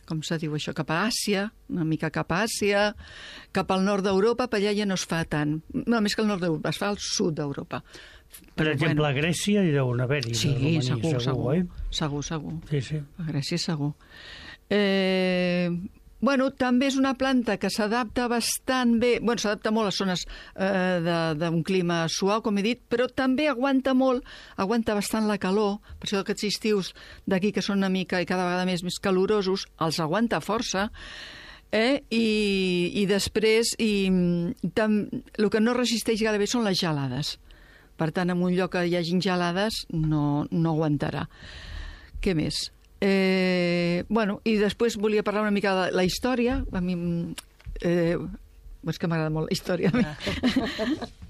com se diu això, cap a Àsia, una mica cap a Àsia, cap al nord d'Europa, per allà ja no es fa tant. No, més que al nord d'Europa, es fa al sud d'Europa. Per exemple, a Grècia hi deuen haver-hi. de Sí, romaní, segur, segur, eh? segur, segur. Sí, sí. A Grècia segur. Eh, bueno, també és una planta que s'adapta bastant bé, bueno, s'adapta molt a zones eh, de- d'un clima suau, com he dit, però també aguanta molt, aguanta bastant la calor, per això aquests estius d'aquí que són una mica i cada vegada més, més calorosos, els aguanta força, eh? I, i després i, tam, el que no resisteix gaire bé són les gelades. Per tant, en un lloc que hi hagin gelades no, no aguantarà. Què més? Eh, bueno, i després volia parlar una mica de la història. A mi... Eh, és que m'agrada molt la història. A mi.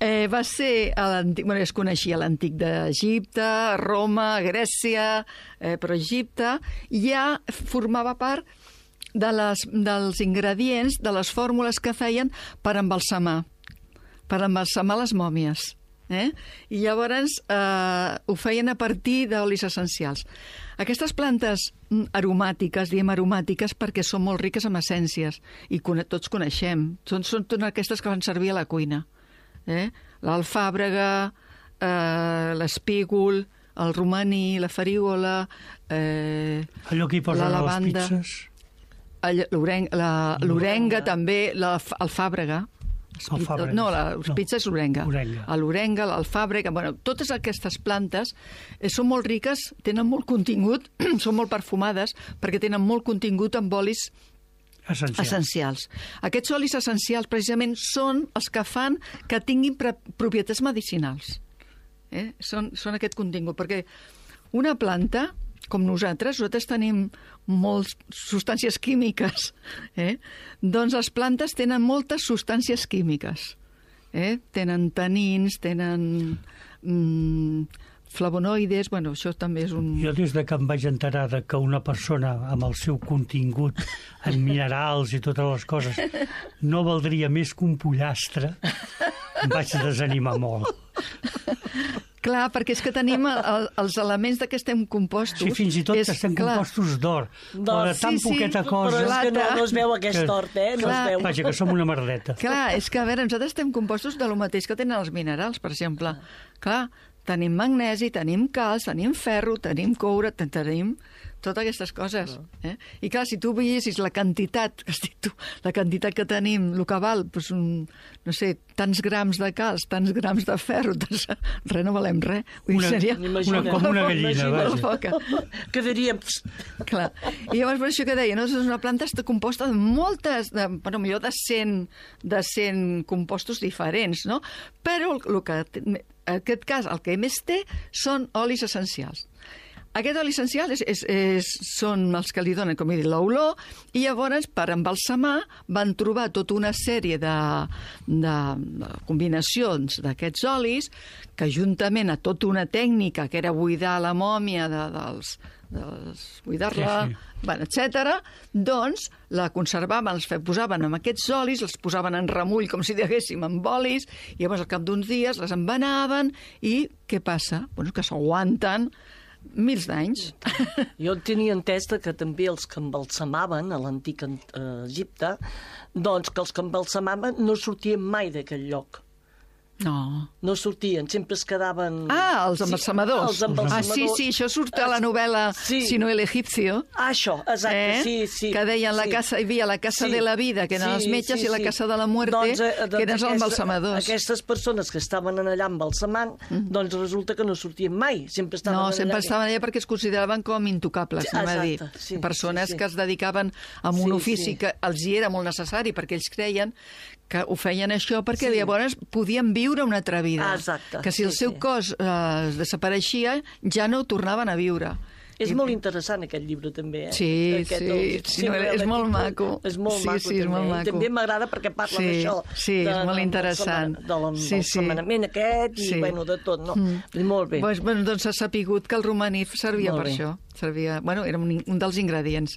eh, va ser a l'antic... Bueno, es coneixia l'antic d'Egipte, Roma, Grècia, eh, però Egipte ja formava part de les, dels ingredients, de les fórmules que feien per embalsamar, per embalsamar les mòmies. Eh? I llavors eh, ho feien a partir d'olis essencials. Aquestes plantes mm, aromàtiques, diem aromàtiques perquè són molt riques en essències i cone tots coneixem. Són, són totes aquestes que fan servir a la cuina. Eh? L'alfàbrega, eh, l'espígol, el romaní, la farigola, eh, Allò que hi posen la a les lavanda, pizzas. el- l'orenga, la, l'orenga també, l'alfàbrega. Alfàbrega. No, la No. pizza és l'orenga. Orenga. L'orenga, l'alfàbrega, bueno, totes aquestes plantes eh, són molt riques, tenen molt contingut, són molt perfumades, perquè tenen molt contingut amb olis Essencial. essencials. Aquests olis essencials, precisament, són els que fan que tinguin pre- propietats medicinals. Eh? Són, són aquest contingut, perquè una planta, com nosaltres, nosaltres tenim moltes substàncies químiques, eh? Doncs les plantes tenen moltes substàncies químiques. Eh? Tenen tanins, tenen mm, flavonoides, bueno, això també és un... Jo des de que em vaig enterar de que una persona amb el seu contingut en minerals i totes les coses no valdria més que un pollastre, em vaig desanimar molt. Clar, perquè és que tenim el, el, els elements de què estem compostos. Sí, fins i tot és, estem clar, compostos d'or, però de Sí, tan sí, poqueta Però cosa... és que no, no es veu aquest Que- tort, eh? No Clar. es veu. Vaja, que som una merdeta. Clar, és que, a veure, nosaltres estem compostos de lo mateix que tenen els minerals, per exemple. Clar, tenim magnesi, tenim calç, tenim ferro, tenim coure, ten- tenim totes aquestes coses. Eh? I clar, si tu veiessis la quantitat, que has dit tu, la quantitat que tenim, el que val, doncs un, no sé, tants grams de calç, tants grams de ferro, tants... res no valem res. Vull dir, Una- seria Imagina. Una, com una gallina, Imagina. molt vaja. poca. Quedaríem... Clar. I llavors, per això que deia, no? És una planta està composta de moltes, de, bueno, millor de cent, de cent compostos diferents, no? Però el, el que, en aquest cas, el que més té són olis essencials. Aquest oli essencial és, és, és, són els que li donen, com he dit, l'olor, i llavors, per embalsamar, van trobar tota una sèrie de, de, de combinacions d'aquests olis, que juntament a tota una tècnica, que era buidar la mòmia de, dels, dels buidar-la, Sí, sí. bueno, etcètera, doncs la conservaven, els fe- posaven amb aquests olis, els posaven en remull, com si diguéssim, amb olis, i llavors al cap d'uns dies les envenaven, i què passa? Bueno, que s'aguanten mils d'anys. Jo tenia entès que també els que embalsamaven a l'antic eh, Egipte, doncs que els que embalsamaven no sortien mai d'aquell lloc. No. No sortien, sempre es quedaven... Ah, els embalsamadors. Sí, els embalsamadors. Ah, sí, sí, això surt a la novel·la Sí. Sino el egipcio. Ah, això, exacte, Eh? sí, sí. Que deien la sí. casa, hi havia la casa Sí. de la vida, que eren Sí, els metges, sí, i la sí. casa de la muerte, doncs, eh, doncs que eren els aquesta- embalsamadors. Aquestes persones que estaven allà embalsamant, mm. doncs resulta que no sortien mai, sempre estaven No, allà. sempre estaven allà perquè es consideraven com intocables, Sí, anem a dir. exacte, sí, Persones sí, sí. que es dedicaven a un Sí, ofici sí. que els hi era molt necessari, perquè ells creien que ho feien això perquè Sí. llavors podien viure una altra vida. Ah, exacte, Que si el sí, seu sí. cos eh, desapareixia, ja no ho tornaven a viure. És I- molt interessant aquest llibre també, eh? Sí, Aquest, sí, el- sí, no, és el molt títol maco. És molt Sí, maco, sí, és també. molt I maco. també m'agrada perquè parla Sí, d'això. sí, és de- molt del interessant. embalsama- Sí, Del sí. embalsamament aquest i, Sí. bueno, de tot, no? Mm. Molt bé. Pues, bueno, doncs s'ha sapigut que el romaní servia Molt per bé. això. Servia, bueno, era un, un dels ingredients.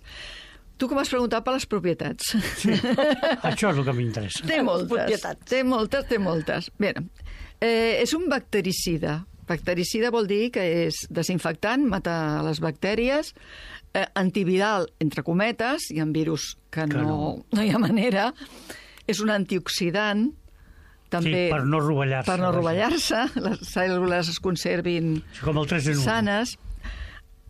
Tu com has preguntat per les propietats? Sí. Això és el que m'interessa. Té moltes, propietats. té moltes, té moltes. Bé, eh, és un bactericida. Bactericida vol dir que és desinfectant, mata les bactèries, eh, antiviral, entre cometes, hi ha virus que, Que no, no. no hi ha manera, és un antioxidant, també Sí, per no rovellar-se. per no vaja. rovellar-se, les cèl·lules es conservin Sí, com el tres en un. sanes.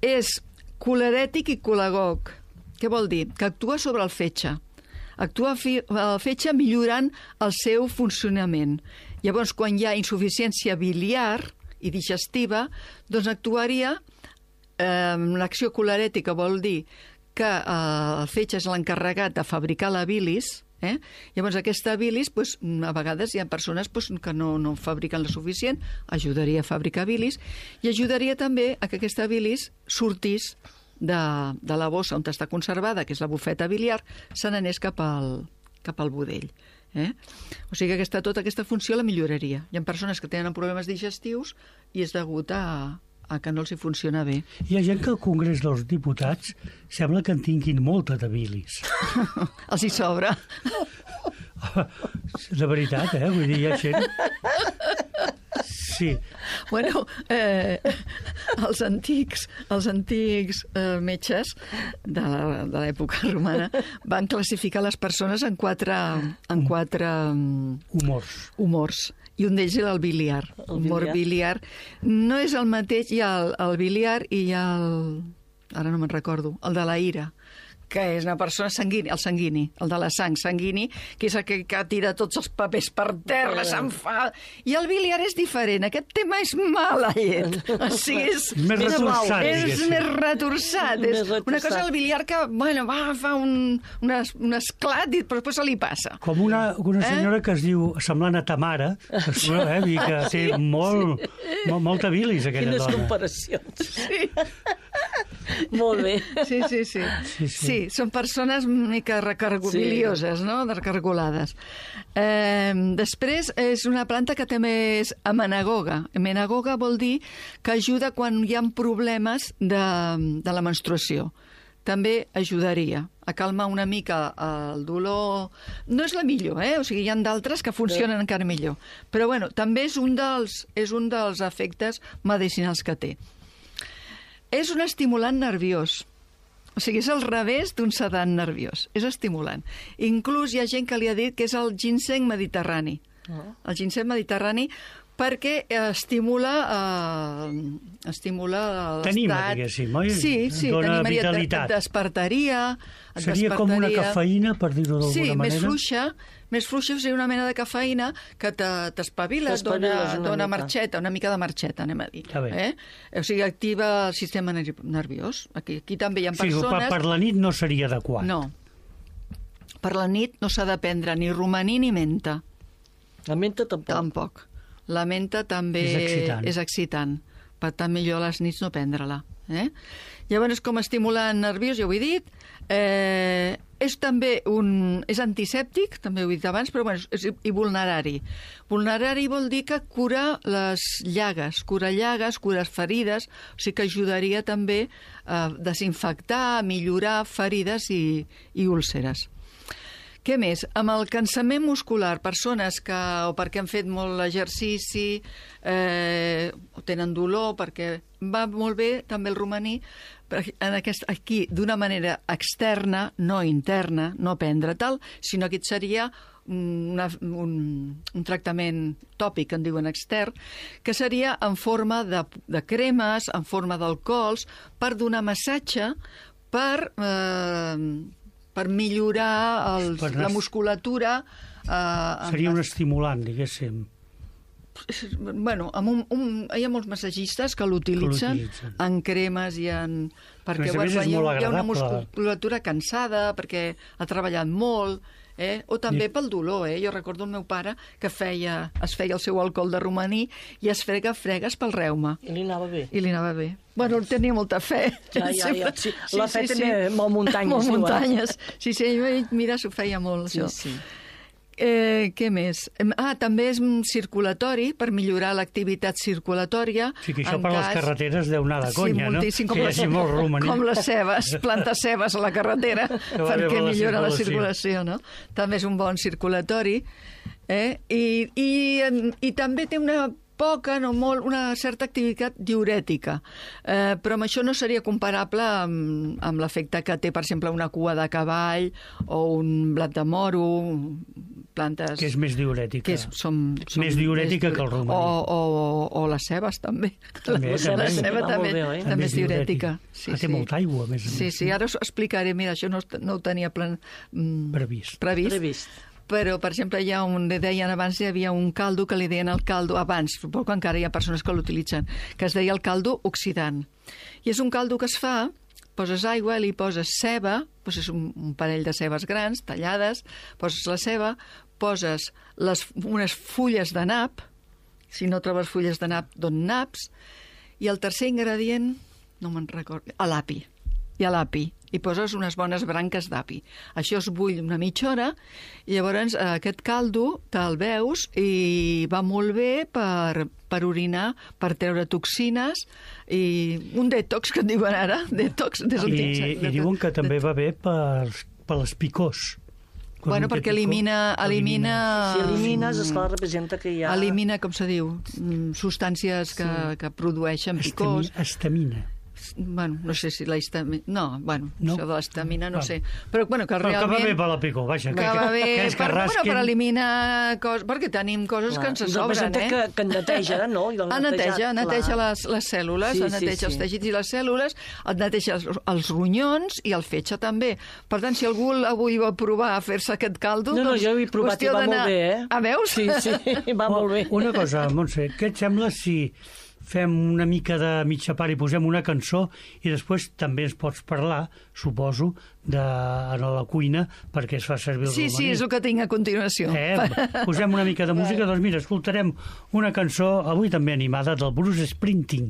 És colerètic i colagog. Què vol dir? Que actua sobre el fetge. Actua fi- el fetge millorant el seu funcionament. Llavors, quan hi ha insuficiència biliar i digestiva, doncs actuaria eh, l'acció colerètica, vol dir que eh, el fetge és l'encarregat de fabricar la bilis. Eh? Llavors aquesta bilis, doncs, a vegades hi ha persones doncs, que no, no fabriquen la suficient, ajudaria a fabricar bilis i ajudaria també a que aquesta bilis sortís de, de la bossa on està conservada, que és la bufeta biliar, se n'anés cap al, cap al budell. Eh? O sigui que aquesta, tota aquesta funció la milloraria. Hi ha persones que tenen problemes digestius i és degut a, a que no els hi funciona bé. Hi ha gent que al Congrés dels Diputats sembla que en tinguin molta de bilis. Els hi sobra. De veritat, eh? Vull dir, hi ha gent... Sí. Bueno, eh, els antics, els antics eh, metges de la- de l'època romana van classificar les persones en quatre, en quatre mm, Humors. humors. I un d'ells era el biliar. El Humor biliar. No és el mateix, hi ha el, el biliar i hi ha el... Ara no me'n recordo, el de la ira, que és una persona sanguini, el sanguini, el de la sang sanguini, que és el que, que tira tots els papers per terra, s'enfada. I el biliar és diferent. Aquest tema és mala llet. O sigui, és, Més és, retorçat, és diguéssim. més retorçat. Més És una retorçat. cosa el biliar que, bueno, va, fa un, un, es, un esclat i però després se li passa. Com una, una Eh? senyora que es diu semblant a Tamara, que, es, eh, i que té molt, molt, molta bilis, aquella Quines dona. comparacions. Sí. Molt bé. Sí, sí, sí. Sí, sí. Sí, són persones una mica recargolioses, no? Recargolades. Eh, després és una planta que també és amenagoga. Amenagoga vol dir que ajuda quan hi ha problemes de, de la menstruació. També ajudaria a calmar una mica el dolor. No és la millor, eh? O sigui, hi ha d'altres que funcionen encara millor. Però, bueno, també és un dels, és un dels efectes medicinals que té. És un estimulant nerviós. O sigui, és al revés d'un sedant nerviós. És estimulant. Inclús hi ha gent que li ha dit que és el ginseng mediterrani. El ginseng mediterrani perquè estimula eh, estimula l'estat... T'anima, diguéssim, oi? Sí, sí, Dona t'animaria, et- vitalitat. et despertaria... et Seria com una despertaria. cafeïna, per dir-ho d'alguna Sí, manera? més fluixa, més fluixa seria una mena de cafeïna que te- t'espavila, et dona, T'espaviles una dona mica. marxeta, una mica de marxeta, anem a dir. Està bé. Eh? O sigui, activa el sistema ner- nerviós. Aquí, aquí també hi ha Sí, per, persones... per la nit no seria adequat. No. Per la nit no s'ha de prendre ni romaní ni menta. La menta tampoc. Tampoc. La menta també És excitant. és excitant. Per tant, millor a les nits no prendre-la. Eh? Llavors, com a estimulant nerviós, ja ho he dit, eh, és també un... és antisèptic, també ho he dit abans, però bueno, és, i vulnerari. Vulnerari vol dir que cura les llagues, cura llagues, cura ferides, o sigui que ajudaria també a desinfectar, a millorar ferides i, i úlceres. Què més? Amb el cansament muscular, persones que o perquè han fet molt exercici, eh, o tenen dolor, perquè va molt bé també el romaní, en aquest, aquí d'una manera externa, no interna, no prendre tal, sinó que seria una, un, un tractament tòpic, en diuen extern, que seria en forma de, de cremes, en forma d'alcohols, per donar massatge, per, eh, per millorar els, Per la anar- musculatura. Eh, Seria amb un estimulant, diguéssim. Bueno, amb un, un, hi ha molts massatgistes que l'utilitzen l'utilitzen. en cremes i en... Perquè A més a més, bueno, és hi ha, molt hi ha una agradable. musculatura cansada, perquè ha treballat molt, eh? O també I- pel dolor, eh? Jo recordo el meu pare que feia, es feia el seu alcohol de romaní i es frega fregues pel reuma. I li anava bé. I li anava bé. Bueno, tenia molta fe. Ja, ja, ja. Sí, la fe també molt muntanyes, Molt diuen. muntanyes. Sí, sí, ell, mira, s'ho feia molt, Sí, això. sí. Eh, què més? Em- Ah, també és mm, circulatori, per millorar l'activitat circulatòria. Sí, que això en per les cas- carreteres deu anar de conya, sí, no? moltíssim, com, Que hi les, hagi molt romaní. com les cebes, plantes cebes a la carretera va bé perquè per la millora la circulació. circulació, no? També és un bon circulatori. Eh? I, i, em, I també té una poca, no molt, una certa activitat diurètica. Eh, però amb això no seria comparable amb, amb l'efecte que té, per exemple, una cua de cavall o un blat de moro, plantes... Que és més diurètica. que és, som, som Més diurètica que el romaní. O, o, o les cebes, també. També, la, també. la ceba Va també, molt bé, oi? també és és diurètica. diurètica. Ah, té molta aigua, a més a Sí, més. sí, ara us explicaré. Mira, això no, no ho tenia plan, mm, Previst. previst. Previst. Però, per exemple, hi ha un, deien abans, hi havia un caldo que li deien el caldo, abans, suposo que encara hi ha persones que l'utilitzen, que es deia el caldo oxidant. I és un caldo que es fa, poses aigua, li poses ceba, poses un, un parell de cebes grans, tallades, poses la ceba, poses les, unes fulles de nap, si no trobes fulles de nap, don naps, i el tercer ingredient, no me'n recordo, a l'api. I a l'api. I poses unes bones branques d'api. Això es bull una mitja hora i llavors eh, aquest caldo te'l veus i va molt bé per, per orinar, per treure toxines i un detox, que en diuen ara, detox. Des I, I diuen que també va bé per, per les picors. Quan Bueno, un té perquè picor, elimina... elimina Si elimines, esclar, representa que hi ha... Elimina, com se diu, mm, substàncies que, que produeixen picors. Estami- Estamina. Bueno, no sé si la histamina... No, bueno, No? això de l'estamina no Val. sé. Però, bueno, que Però que realment... va bé per la picor, vaja. Que va bé que és que per, bueno, rasquin. per eliminar coses... Perquè tenim coses Clar, que ens sobren, representa eh? que, que en neteja, no? I el Ah, neteja, netejat, neteja clar. les, les cèl·lules, Sí, sí, sí, neteja sí. els teixits i les cèl·lules, et neteja els, els ronyons i el fetge també. Per tant, si algú avui va provar a fer-se aquest caldo... No, no, doncs, jo ho he provat i qüestió va d'anar- molt bé, eh? Ah, veus? Sí, sí, va molt bé. Una cosa, Montse, què et sembla si fem una mica de mitja part i posem una cançó i després també ens pots parlar, suposo, de, a la cuina perquè es fa servir el Sí, sí, romaní. és el que tinc a continuació. Eh, posem una mica de música, doncs mira, escoltarem una cançó, avui també animada, del Bruce Springsteen.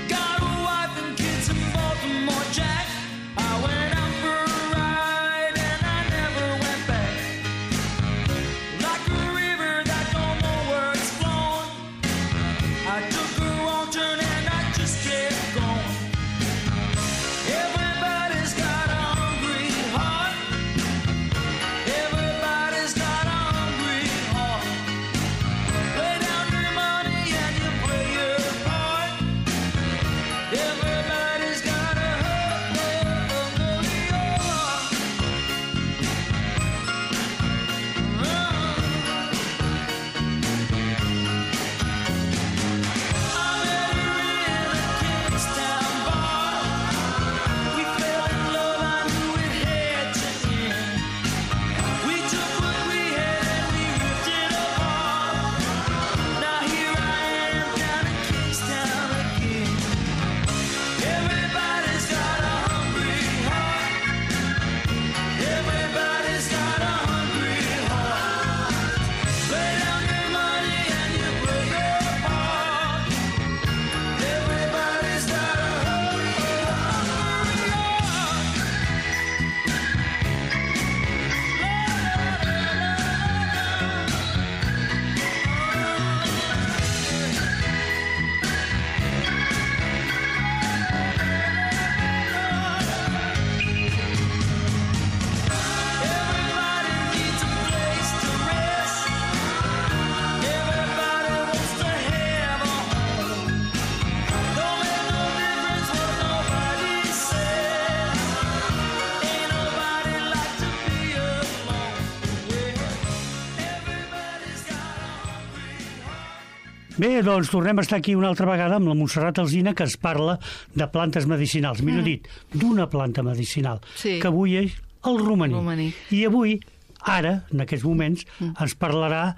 Got a wife and kids in Baltimore, Jack. I went out for a ride and I never went back. Like a Bé, doncs tornem a estar aquí una altra vegada amb la Montserrat Alsina, que ens parla de plantes medicinals, millor Mm. dit, d'una planta medicinal, Sí. que avui és el romaní. Romaní. I avui, ara, en aquests moments, ens parlarà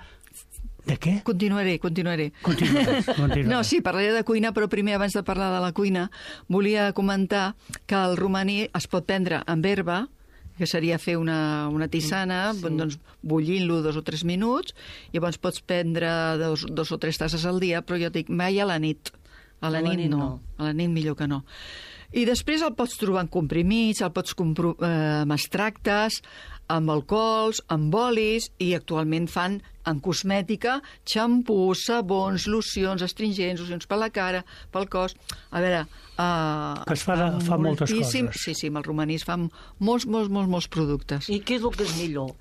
de què? Continuaré, continuaré. Continuaràs, continuaràs. No, sí, parlaré de cuina, però primer, abans de parlar de la cuina, volia comentar que el romaní es pot prendre amb herba, que seria fer una, una tisana, sí. doncs bullint-lo dos o tres minuts, i llavors pots prendre dos, dos o tres tasses al dia, però jo et dic, mai a la nit. A la, A la nit, nit no. no. A la nit millor que no. I després el pots trobar en comprimits, el pots compro eh, amb extractes, amb alcohols, amb olis, i actualment fan en cosmètica xampús, sabons, locions, astringents, locions per la cara, pel cos. A veure... Uh, Que es fa de- fa moltes coses. Sí, sí, amb el romaní es fan molts, molts, molts, molts productes. I què és el que és millor?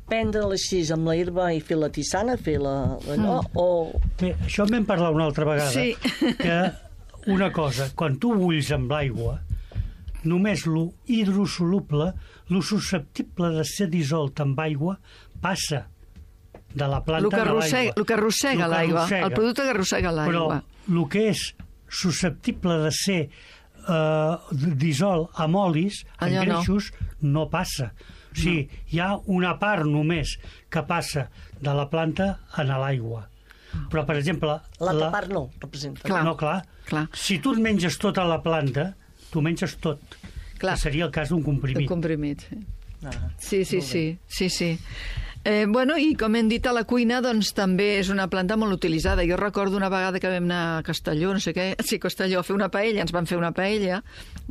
Prendre-la així amb la herba i fer la tisana, fer la... la no? Mm. O... Bé, això en vam parlar una altra vegada, Sí. que una cosa, quan tu bulls amb l'aigua, només lo hidrosoluble, lo susceptible de ser dissolt amb aigua, passa de la planta El que a arrossega, l'aigua. el que arrossega Lo que l'aigua, arrossega. el producte que arrossega l'aigua. Però el que és susceptible de ser eh, dissolt amb olis, amb Allò no. greixos, no passa. O sigui, hi ha una part només que passa de la planta a l'aigua. Però, per exemple... L'altra part no, representa. Clar. No, clar. Clar. Si tu et menges tota la planta, tu menges tot. Clar. Que seria el cas d'un El comprimit. comprimit, sí. Ah, Sí, sí, molt bé. sí, sí, sí. Eh, bueno, i com hem dit a la cuina, doncs també és una planta molt utilitzada. Jo recordo una vegada que vam anar a Castelló, no sé què, sí, Castelló, a fer una paella, ens van fer una paella,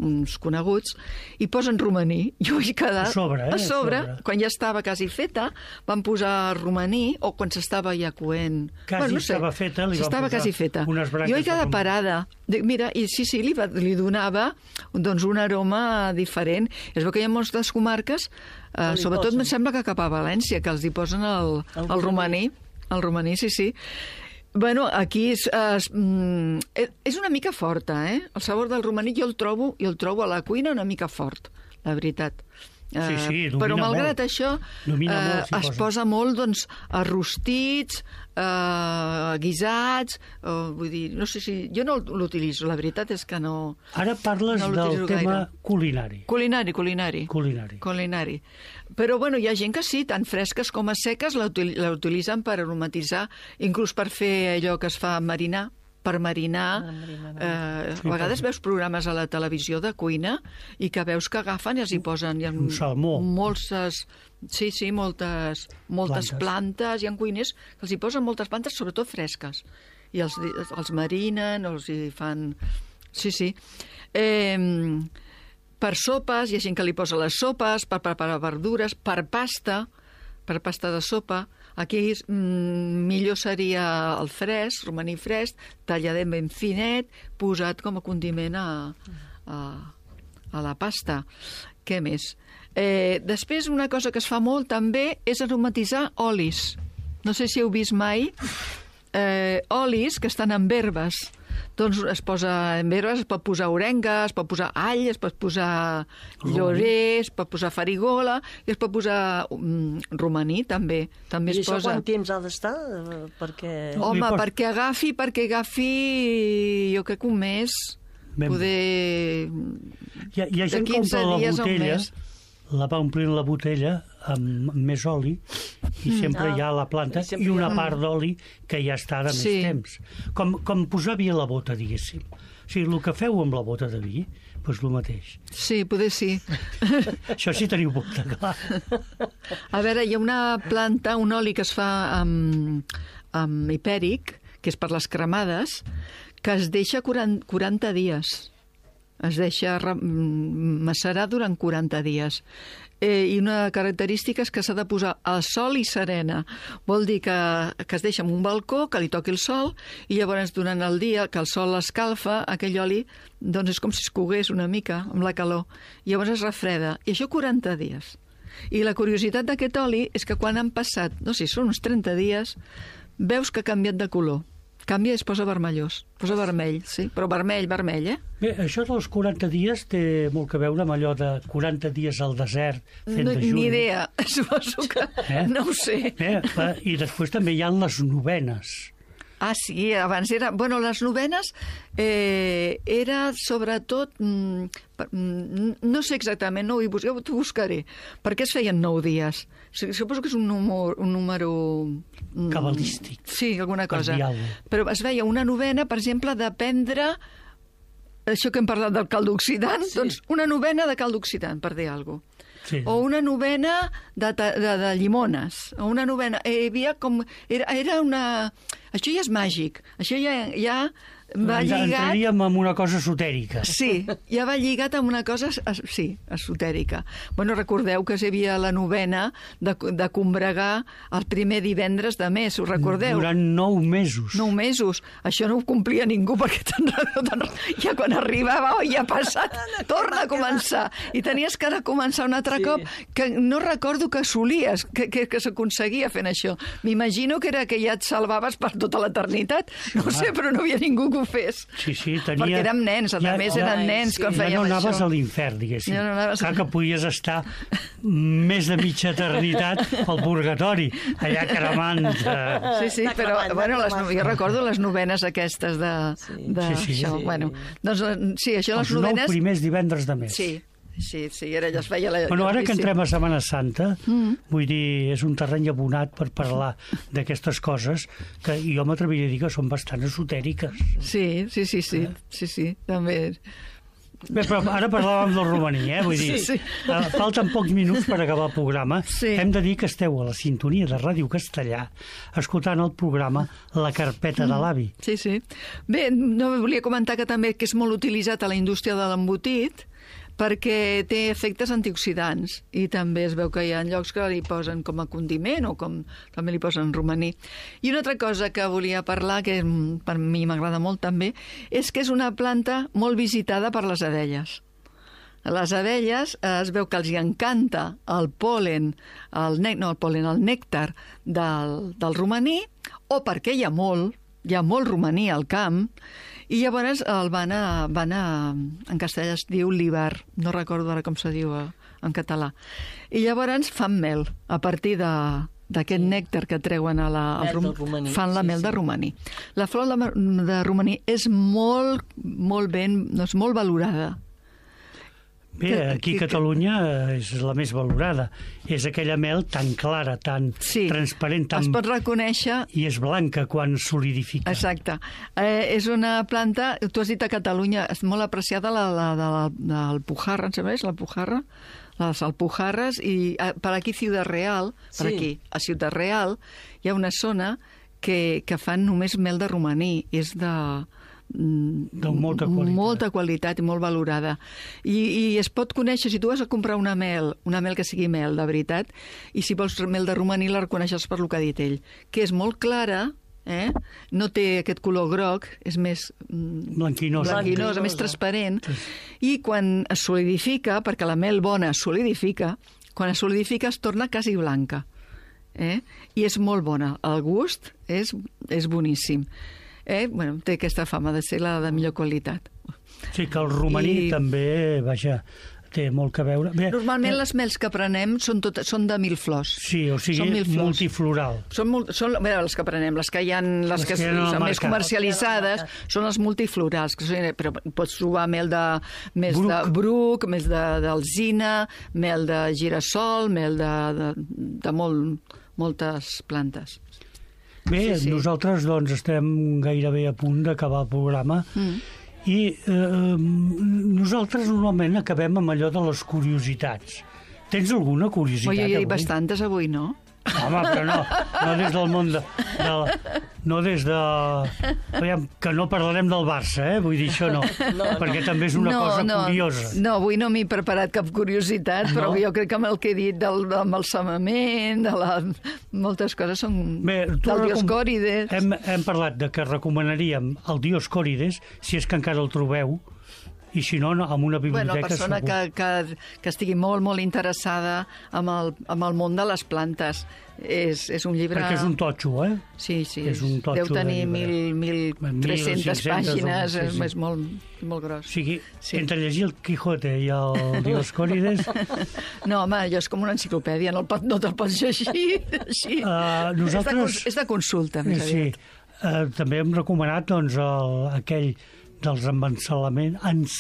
uns coneguts, i posen romaní. Jo vaig quedar... A sobre, eh? A sobre, A sobre. quan ja estava quasi feta, van posar romaní, o quan s'estava ja coent... Quasi estava feta, li van S'estava posar quasi feta. unes branques Jo vaig de quedar romaní. parada. Dic, mira, i sí, sí, li, va, li donava doncs, un aroma diferent. Es veu que hi ha moltes comarques, eh, li sobretot posen. em sembla que cap a València, que els hi posen el, El el romaní. El romaní, sí, sí. Bueno, aquí és, és, mm, és una mica forta, eh? El sabor del romaní jo el trobo, jo el trobo a la cuina una mica fort, la veritat. Sí, sí, Eh, domina però malgrat molt. això Domina eh, molt, s'hi es posa. posa molt doncs, a rostits, eh, guisats, eh, vull dir, no sé si... Jo no l'utilitzo, la veritat és que no... Ara parles No del l'utilitzo tema gaire. culinari. Culinari, culinari. Culinari. Culinari. Però, bueno, hi ha gent que sí, tant fresques com a seques, la util- la utilitzen per aromatitzar, inclús per fer allò que es fa marinar, per marinar. Eh, a vegades veus programes a la televisió de cuina i que veus que agafen i els hi posen... Hi ha Un salmó. Moltes, sí, sí, moltes, moltes Plantes. plantes. Hi ha cuiners que els hi posen moltes plantes, sobretot fresques. I els, els marinen, els hi fan... Sí, sí. Eh, per sopes, hi ha gent que li posa les sopes, per preparar verdures, per pasta, per pasta de sopa. Aquí mm, millor seria el fresc, romaní fresc, talladet ben finet, posat com a condiment a, a, a la pasta. Què més? Eh, després, una cosa que es fa molt també és aromatitzar olis. No sé si heu vist mai eh, olis que estan en herbes. Doncs es posa en herbes, es pot posar orenga, es pot posar all, es pot posar llorer, es pot posar farigola i es pot posar um, romaní també. També I es això posa... quant temps ha d'estar? Eh, Perquè... No. Home, Li pos- perquè agafi, perquè agafi, jo crec que un mes, Ben bé. poder... Hi ha, hi ha De gent que quinze omple la dies a un botella, mes. la va omplint la botella amb més oli i sempre Ah, hi ha la planta i sempre i hi ha- una part d'oli que ja està de més Sí. temps. Com, com posar vi a la bota, diguéssim. O sigui, el que feu amb la bota de vi, doncs el mateix. Sí, poder sí. Això sí teniu poc de clar. A veure, hi ha una planta, un oli que es fa amb, amb hipèric, que és per les cremades, que es deixa quaranta, quaranta dies. Es deixa re- mm, macerar durant quaranta dies. Eh, I una característica és que s'ha de posar al sol i serena. Vol dir que, que es deixa en un balcó, que li toqui el sol, i llavors durant el dia, que el sol l'escalfa, aquell oli doncs és com si es cogués una mica amb la calor. I llavors es refreda. I això quaranta dies. I la curiositat d'aquest oli és que quan han passat, no sé, són uns trenta dies, veus que ha canviat de color. Canvia i es posa vermellós. Posa vermell, sí, però vermell, vermell, eh? Bé, això dels quaranta dies té molt que veure amb allò de quaranta dies al desert fent No, dejuni. ni idea, suposo que... Eh? No ho sé. Eh? I després també hi ha les novenes. Ah, sí, abans era... Bueno, les novenes eh, era sobretot... Mm, no sé exactament, no ho he buscat, t'ho buscaré. Per què es feien nou dies? Suposo que és un número... Un número mm, cabalístic. Sí, alguna cosa. Diable. Però es veia una novena, per exemple, de prendre... Això que hem parlat del cald oxidant, sí. Doncs una novena de cald oxidant, per dir alguna cosa. Sí. O una novena de, de, de llimones, o una novena... Eh, hi havia com... Era, era una... Això ja és màgic, això ja, ja va Ens lligat... entraríem en una cosa esotèrica. Sí, ja va lligat amb una cosa, es, sí, esotèrica. Bueno, recordeu que hi havia la novena de, de combregar el primer divendres de mes, us recordeu? Durant nou mesos. Nou mesos. Això no ho complia ningú, perquè tan, tan, ja quan arribava, oh, ja ha passat, torna a començar. I tenies que ara començar un altre sí. cop, que no recordo que assolies, que, que, que s'aconseguia fent això. M'imagino que era que ja et salvaves per tota l'eternitat. No sé, però no havia ningú que ho fes. Sí, sí, tenia... Perquè érem nens, a ja, més eren ja, nens quan sí. fèiem ja no anaves això. a l'infern, diguéssim. Ja no anaves... Clar que podies estar més de mitja eternitat al purgatori, allà cremant. Eh... Sí, sí, però bueno, les, jo recordo les novenes aquestes de, de sí, sí, això. Sí. Bueno, doncs, sí, això les Els novenes... nou primers divendres de mes. Sí, sí, sí, era, ja es feia la... Bueno, ara que entrem a Setmana Santa, mm. vull dir, és un terreny abonat per parlar d'aquestes coses que jo m'atreviria a dir que són bastant esotèriques. Sí, sí, sí, sí, sí, sí, també... Bé, però ara parlàvem del romaní, eh? Vull dir, sí, sí. Uh, falten pocs minuts per acabar el programa. Sí. Hem de dir que esteu a la sintonia de Ràdio Castellà escoltant el programa La Carpeta mm. de l'avi. Sí, sí. Bé, no volia comentar que també que és molt utilitzat a la indústria de l'embotit, perquè té efectes antioxidants i també es veu que hi ha llocs que li posen com a condiment o com també li posen romaní. I una altra cosa que volia parlar, que per mi m'agrada molt també, és que és una planta molt visitada per les abelles. Les abelles eh, es veu que els hi encanta el pol·len, el, ne no, el, pol·len, el nèctar del, del romaní, o perquè hi ha molt, hi ha molt romaní al camp, i llavors el van a, van a, en castellà es diu libar, no recordo ara com se diu en català. I llavors fan mel a partir de d'aquest sí. nèctar que treuen a la, al rom... romaní. Fan la sí, mel sí. de romaní. La flor de romaní és molt, molt ben, no, és molt valorada. Bé, aquí a Catalunya és la més valorada. És aquella mel tan clara, tan sí, transparent, tan... es pot reconèixer... I és blanca quan solidifica. Exacte. Eh, és una planta, tu has dit a Catalunya, és molt apreciada la, la, la, la, la Alpujarra, em sembla, és l'Alpujarra? Les Alpujarres, i per aquí Ciutat Real, per sí. aquí, a Ciutat Real, hi ha una zona que, que fan només mel de romaní, és de... de molta qualitat. molta qualitat i molt valorada. I, i es pot conèixer, si tu vas a comprar una mel, una mel que sigui mel, de veritat, i si vols mel de romaní la reconeixes per lo que ha dit ell, que és molt clara, eh? No té aquest color groc, és més blanquinosa, blanquinosa més transparent, sí. I quan es solidifica, perquè la mel bona es solidifica, quan es solidifica es torna quasi blanca. Eh? I és molt bona. El gust és, és boníssim. Eh? Bueno, té aquesta fama de ser la de millor qualitat. Sí, que el romaní I... també, vaja, té molt que veure. Bé, normalment eh... les mels que prenem són, tot, són de mil flors. Sí, o sigui, multifloral. Són, molt, són bé, les que prenem, les que hi ha, les, les que, que són més mercat. Comercialitzades, són les multiflorals, que són, però pots trobar mel de, més bruc. de bruc, més d'alzina, mel de girassol, mel de, de, de molt, moltes plantes. Bé, sí, sí. Nosaltres doncs estem gairebé a punt d'acabar el programa mm. i eh, nosaltres normalment acabem amb allò de les curiositats. Tens alguna curiositat avui? Jo hi ha avui? bastantes avui, no? Home, però no, no des del món de... de no des de... Aviam, que no parlarem del Barça, eh? Vull dir, això no, no perquè no. també és una no, cosa no, curiosa. No, avui no m'he preparat cap curiositat, però no? Jo crec que amb el que he dit del embalsamament, de la... moltes coses són Bé, del Dioscòrides. Hem, hem parlat de que recomanaríem el Dioscòrides, si és que encara el trobeu, i si no, amb una biblioteca bueno, persona segur. Que, que, que estigui molt, molt interessada amb el, amb el món de les plantes. És, és un llibre... Perquè és un totxo, eh? Sí, sí. És un totxo. Deu tenir mil tres-centes pàgines, sí, sí. És molt, molt gros. O sigui, sí. Entre llegir el Quijote i el Dioscòrides... No, home, allò és com una enciclopèdia, no, el pot, no te'l pots llegir així. Uh, nosaltres... És de, és de consulta, més sí. aviat. Eh, també hem recomanat doncs, el, aquell dels embalsaments, ens,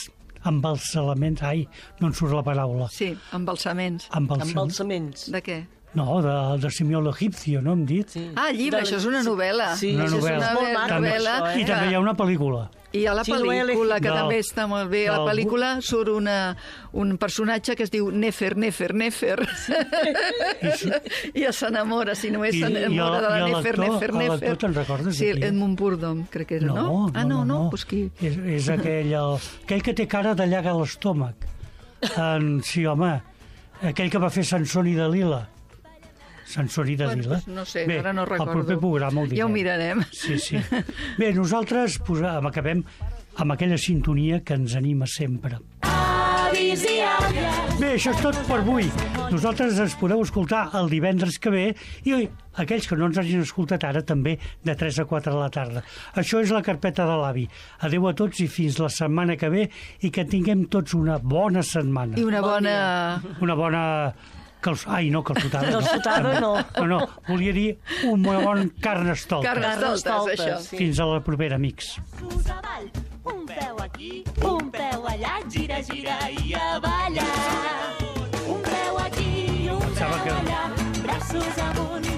embalsaments, ai, no en surt la paraula. Sí, embalsaments. Embalsam... Embalsaments. De què? No, de, de Simeó l'Egipcio, no hem dit? Sí. Ah, llibre, De- això és una novel·la. Sí, Una això novel·la. és molt maco, També- novel·la, això, I eh? també hi ha una pel·lícula. I a la Sí, lo he pel·lícula, que elegit. també Del- està molt bé, a la del- pel·lícula surt una, un personatge que es diu Nefer, Nefer, Nefer. I s'enamora, si només I- i s'enamora el- de la i el Nefer, lector- Nefer, el lector, Nefer. te'n recordes Sí, de qui és? Edmund Purdom, crec que era, no? Ah, no, no, doncs qui? És, és aquell, el, aquell que té cara de llaga a l'estómac. En, sí, home, aquell que va fer Sansón i Dalila. Sansón i Dalila. Doncs no sé, Bé, ara no recordo. el proper programa ho direm. Ja ho mirarem. Sí, sí. Bé, nosaltres posam, acabem amb aquella sintonia que ens anima sempre. Avis i àvies. Bé, això és tot per avui. Nosaltres ens podeu escoltar el divendres que ve i oi, aquells que no ens hagin escoltat ara també de tres a quatre de la tarda. Això és la carpeta de l'avi. Adéu a tots i fins la setmana que ve i que tinguem tots una bona setmana. I una bona... Una bona... Cals... Ai, no, calçotada. Calçotada no. No, no, volia dir un bon carnestoltes. Carnestoltes, Carnestoltes, això. sí. Fins a la propera, amics. Sus avall. Un peu aquí, un peu allà, gira, gira i a ballar. Un peu aquí, un Pensava peu que- allà, braços amunt,